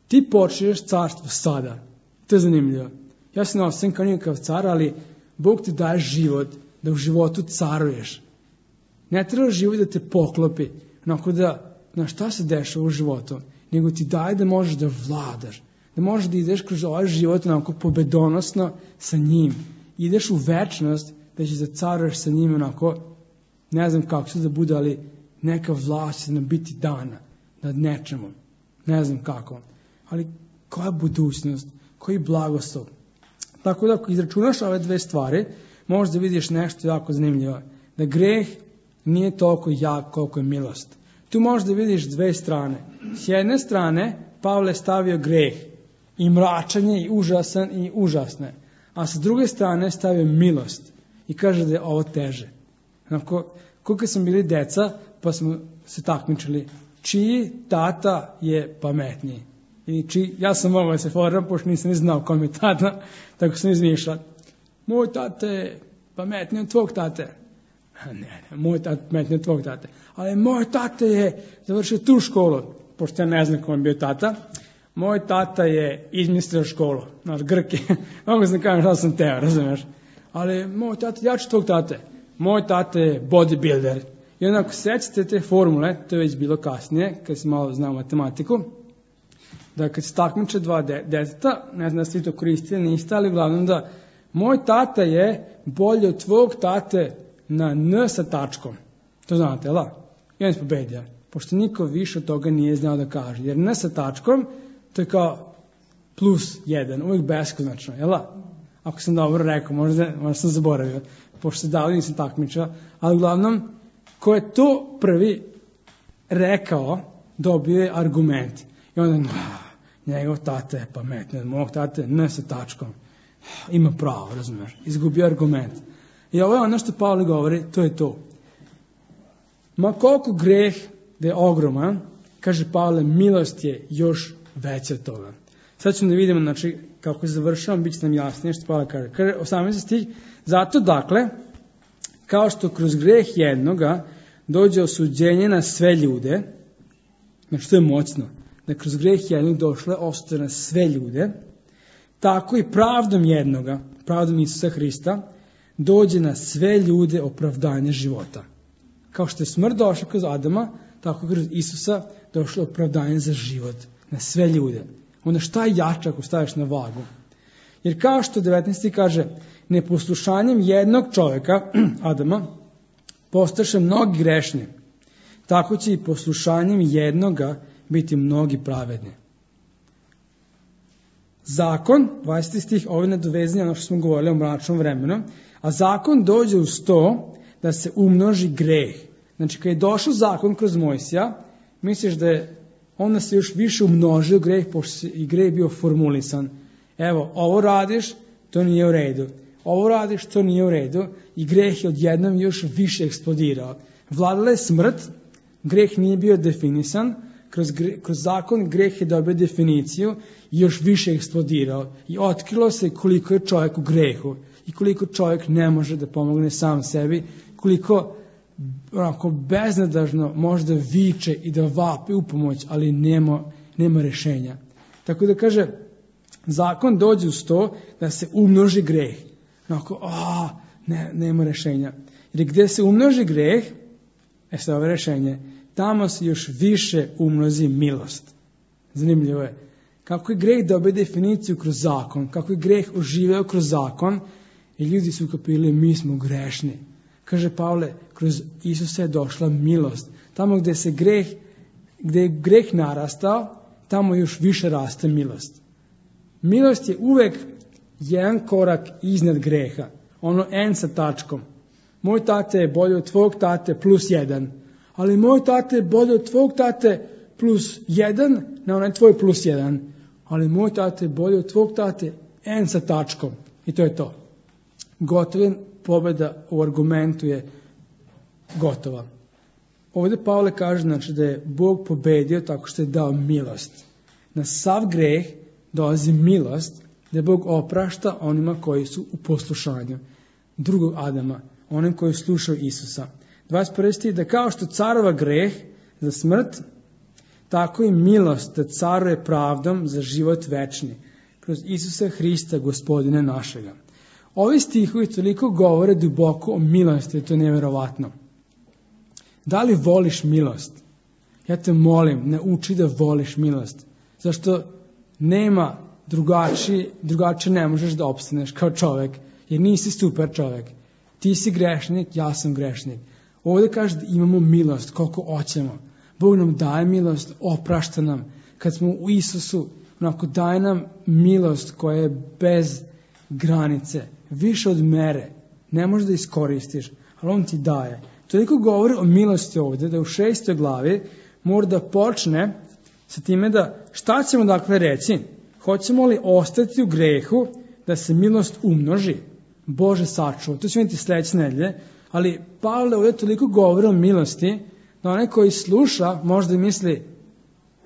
Ti počneš carstvo sada. To je zanimljivo. Ja se nosim kao nikakav car, ali Bog ti daje život da u životu caruješ. Ne treba život da te poklopi, onako da, na šta se dešava u životu, nego ti daje da možeš da vladaš, da možeš da ideš kroz ovaj život onako pobedonosno sa njim. Ideš u večnost da ćeš da caruješ sa njim onako ne znam kako će da bude, ali neka vlast će nam biti dana nad nečemu. Ne znam kako. Ali koja budućnost, koji blagoslov. Tako da ako izračunaš ove dve stvari, možeš da vidiš nešto jako zanimljivo. Da greh nije toliko jak koliko je milost. Tu možeš da vidiš dve strane. S jedne strane, Pavle je stavio greh i mračanje i užasan i užasne. A sa druge strane stavio milost i kaže da je ovo teže. Onako, koliko smo bili deca, pa smo se takmičili, čiji tata je pametniji. I či, ja sam mogao da se foram, pošto nisam ni znao kom je tata, tako sam izmišljao. Moj tata je pametniji od tvog tate. Ne, ne, moj tata je pametniji od tvog tate. Ali moj tata je završio tu školu, pošto ja ne znam kom je bio tata. Moj tata je izmislio školu, znaš, Grke. Mogu sam kažem šta sam teo, razumiješ? Ali moj tata, ja ću tvog tate. Moj tata je bodybuilder. I onako sećate te formule, to je već bilo kasnije, kad sam malo znao matematiku, da kad se takmiče dva de, deteta, ne znam da svi to koristili, niste, ali uglavnom da moj tata je bolji od tvog tate na N sa tačkom. To znate, jel? I on je pobedio, pošto niko više od toga nije znao da kaže. Jer N sa tačkom, to je kao plus jedan, uvijek beskonačno, jel? Ako sam dobro rekao, možda, možda sam zaboravio, pošto se dali nisam takmičao, ali uglavnom, ko je to prvi rekao, dobio je argument. I onda, no, njegov tata je pametniji, mog tata je N sa tačkom. Ima pravo, razumiješ, izgubio argument. I ovo je ono što Pavle govori, to je to. Ma koliko greh da je ogroman, kaže Pavle, milost je još veća od toga. Sad ćemo da vidimo, znači, kako se završavam, bit će nam jasnije što Pavle kaže. Kaže, osamnaesti stih, zato dakle, kao što kroz greh jednoga dođe osuđenje na sve ljude, znači to je moćno, da kroz greh jednog došle osude na sve ljude, tako i pravdom jednoga, pravdom Isusa Hrista, dođe na sve ljude opravdanje života. Kao što je smrt došla kroz Adama, tako kroz Isusa došlo opravdanje za život na sve ljude. Onda šta je jače ako staviš na vagu? Jer kao što devetnaesti kaže, neposlušanjem jednog čovjeka, Adama, postaše mnogi grešni, tako će i poslušanjem jednoga biti mnogi pravedni. Zakon, dvadeseti stih, ovo je nadovezanje ono što smo govorili o mračnom vremenu, a zakon dođe uz to da se umnoži greh. Znači, kad je došao zakon kroz Mojsija, misliš da je onda se još više umnožio greh, pošto i greh bio formulisan. Evo, ovo radiš, to nije u redu. Ovo radiš, to nije u redu. I greh je odjednom još više eksplodirao. Vladala je smrt, greh nije bio definisan, kroz, gre, kroz zakon greh je dobio definiciju i još više eksplodirao. I otkrilo se koliko je čovjek u grehu i koliko čovjek ne može da pomogne sam sebi, koliko onako beznadažno može da viče i da vapi u pomoć, ali nema, nema rešenja. Tako da kaže, zakon dođe uz to da se umnoži greh. Onako, a, ne, nema rešenja. Jer gdje se umnoži greh, e sad ovo rešenje, tamo se još više umnozi milost. Zanimljivo je. Kako je greh dobio definiciju kroz zakon, kako je greh oživeo kroz zakon, i ljudi su kapili, mi smo grešni. Kaže Pavle, kroz Isusa je došla milost. Tamo gdje se greh, gdje je greh narastao, tamo još više raste milost. Milost je uvek jedan korak iznad greha. Ono N sa tačkom. Moj tate je bolji od tvog tate plus jedan. Ali moj tate je bolji od tvog tate plus jedan na onaj tvoj plus jedan. Ali moj tate je bolji od tvog tate N sa tačkom. I to je to. Gotovin pobjeda u argumentu je gotova. Ovdje Pavle kaže, znači, da je Bog pobedio tako što je dao milost. Na sav greh dolazi milost, da Bog oprašta onima koji su u poslušanju drugog Adama, onim koji slušaju Isusa. dvadeset prvi stih, da kao što carova greh za smrt, tako i milost da caruje pravdom za život večni, kroz Isusa Hrista, Gospodine našega. Ovi stihovi toliko govore duboko o milosti, to je nevjerovatno. Da li voliš milost? Ja te molim, nauči da voliš milost. Zašto nema drugačije, drugačije ne možeš da opstaneš kao čovjek, jer nisi super čovjek. Ti si grešnik, ja sam grešnik. Ovdje kaže da imamo milost koliko hoćemo. Bog nam daje milost, oprašta nam. Kad smo u Isusu, onako daje nam milost koja je bez granice, više od mere. Ne možeš da iskoristiš, ali on ti daje. Toliko govori o milosti ovdje da u šestoj glavi mora da počne sa time da šta ćemo dakle reći? Hoćemo li ostati u grehu da se milost umnoži? Bože sačuva. To će vidjeti sljedeće nedelje, ali Pavle ovdje toliko govori o milosti da onaj koji sluša možda misli,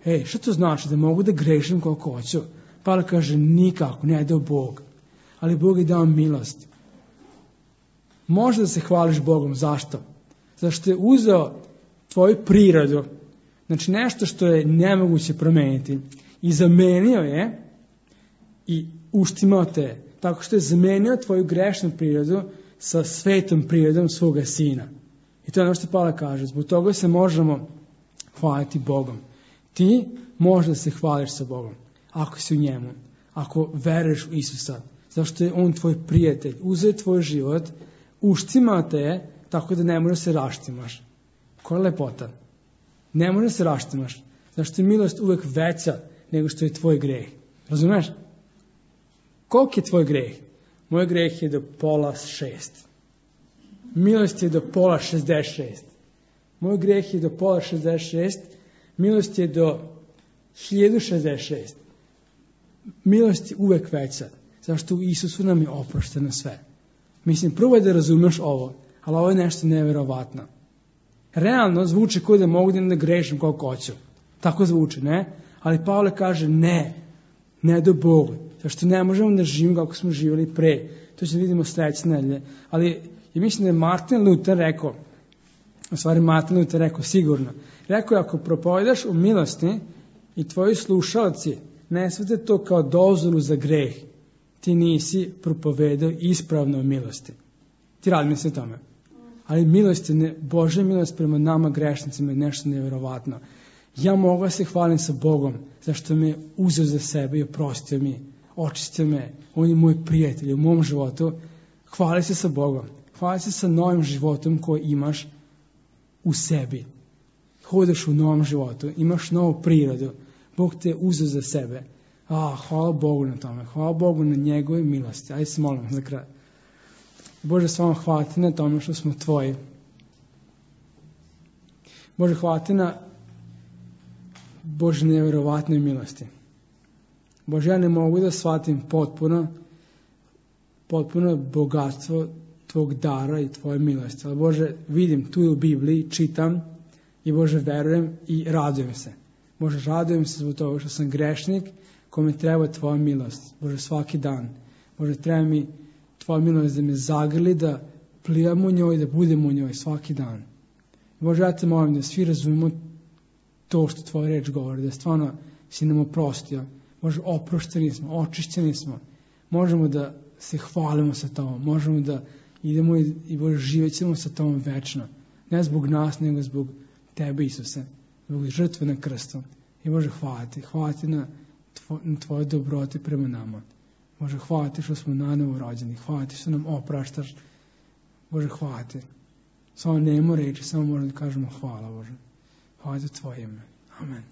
ej, što to znači da mogu da grešim koliko hoću? Pavle kaže, nikako, ne ide Bog. Ali Bog je dao milost. Može da se hvališ Bogom. Zašto? Zato što je uzeo tvoju prirodu, znači nešto što je nemoguće promeniti, i zamenio je i uštimao te, tako što je zamenio tvoju grešnu prirodu sa svetom prirodom svoga sina. I to je ono što Pavle kaže. Zbog toga se možemo hvaliti Bogom. Ti možeš da se hvališ sa Bogom, ako si u njemu, ako veruješ u Isusa, zato što je on tvoj prijatelj, uzeo tvoj život, uštimao te tako da ne možeš se raštimaš. Koja je lepota? Ne možeš se raštimaš, zato što je milost uvek veća nego što je tvoj greh. Razumeš? Koliko je tvoj greh? Moj greh je do pola šest. Milost je do pola šezdeset šest. Moj greh je do pola šezdeset šest. Milost je do hiljadu šezdeset šest. Milost je uvek veća, zato što u Isusu nam je oprošteno sve. Mislim, prvo je da razumeš ovo, ali ovo je nešto neverovatno. Realno zvuči kao da mogu da ne grešim koliko hoću. Tako zvuči, ne? Ali Pavle kaže ne, ne do Bogu. Zato što ne možemo da živimo kako smo živjeli pre. To će vidimo sljedeće nedelje. Ali ja mislim da je Martin Luther rekao, u stvari Martin Luther rekao sigurno, rekao je ako propovedaš u milosti i tvoji slušalci ne shvate to kao dozvolu za greh, ti nisi propovedao ispravno o milosti. Ti radi misli o tome. Ali milost je, ne, Božja milost prema nama grešnicima je nešto nevjerovatno. Ja mogu da se hvalim sa Bogom, zašto me uzeo za sebe i oprostio mi, očistio me, on je moj prijatelj u mom životu. Hvali se sa Bogom, hvali se sa novim životom koji imaš u sebi. Hodeš u novom životu, imaš novu prirodu, Bog te je uzeo za sebe. A, hvala Bogu na tome, hvala Bogu na njegove milosti. Ajde se molim za kraj. Bože, s vama hvala ti na tome što smo tvoji. Bože, hvala ti na Bože nevjerovatnoj milosti. Bože, ja ne mogu da shvatim potpuno, potpuno bogatstvo tvog dara i tvoje milosti. Ali Bože, vidim tu u Bibliji, čitam i Bože, verujem i radujem se. Bože, radujem se zbog toga što sam grešnik kome treba tvoja milost. Bože, svaki dan. Bože, treba mi tvoja milost da me zagrli, da plivam u njoj, da budem u njoj svaki dan. Bože, ja te molim da svi razumemo to što tvoja reč govori, da stvarno si nam oprostio. Bože, oprošteni smo, očišćeni smo. Možemo da se hvalimo sa tobom, možemo da idemo i, i Bože, živjet ćemo sa tobom večno. Ne zbog nas, nego zbog tebe, Isuse, zbog žrtve na krstu. I Bože, hvala ti, hvala ti na, tvo, na tvoje dobrote prema nama. Bože, hvala ti što smo nanovo rođeni, hvala ti što nam opraštaš. Bože, hvala ti. Samo nemo reći, samo možemo da kažemo hvala, Bože. Hvala za tvoje ime. Amen.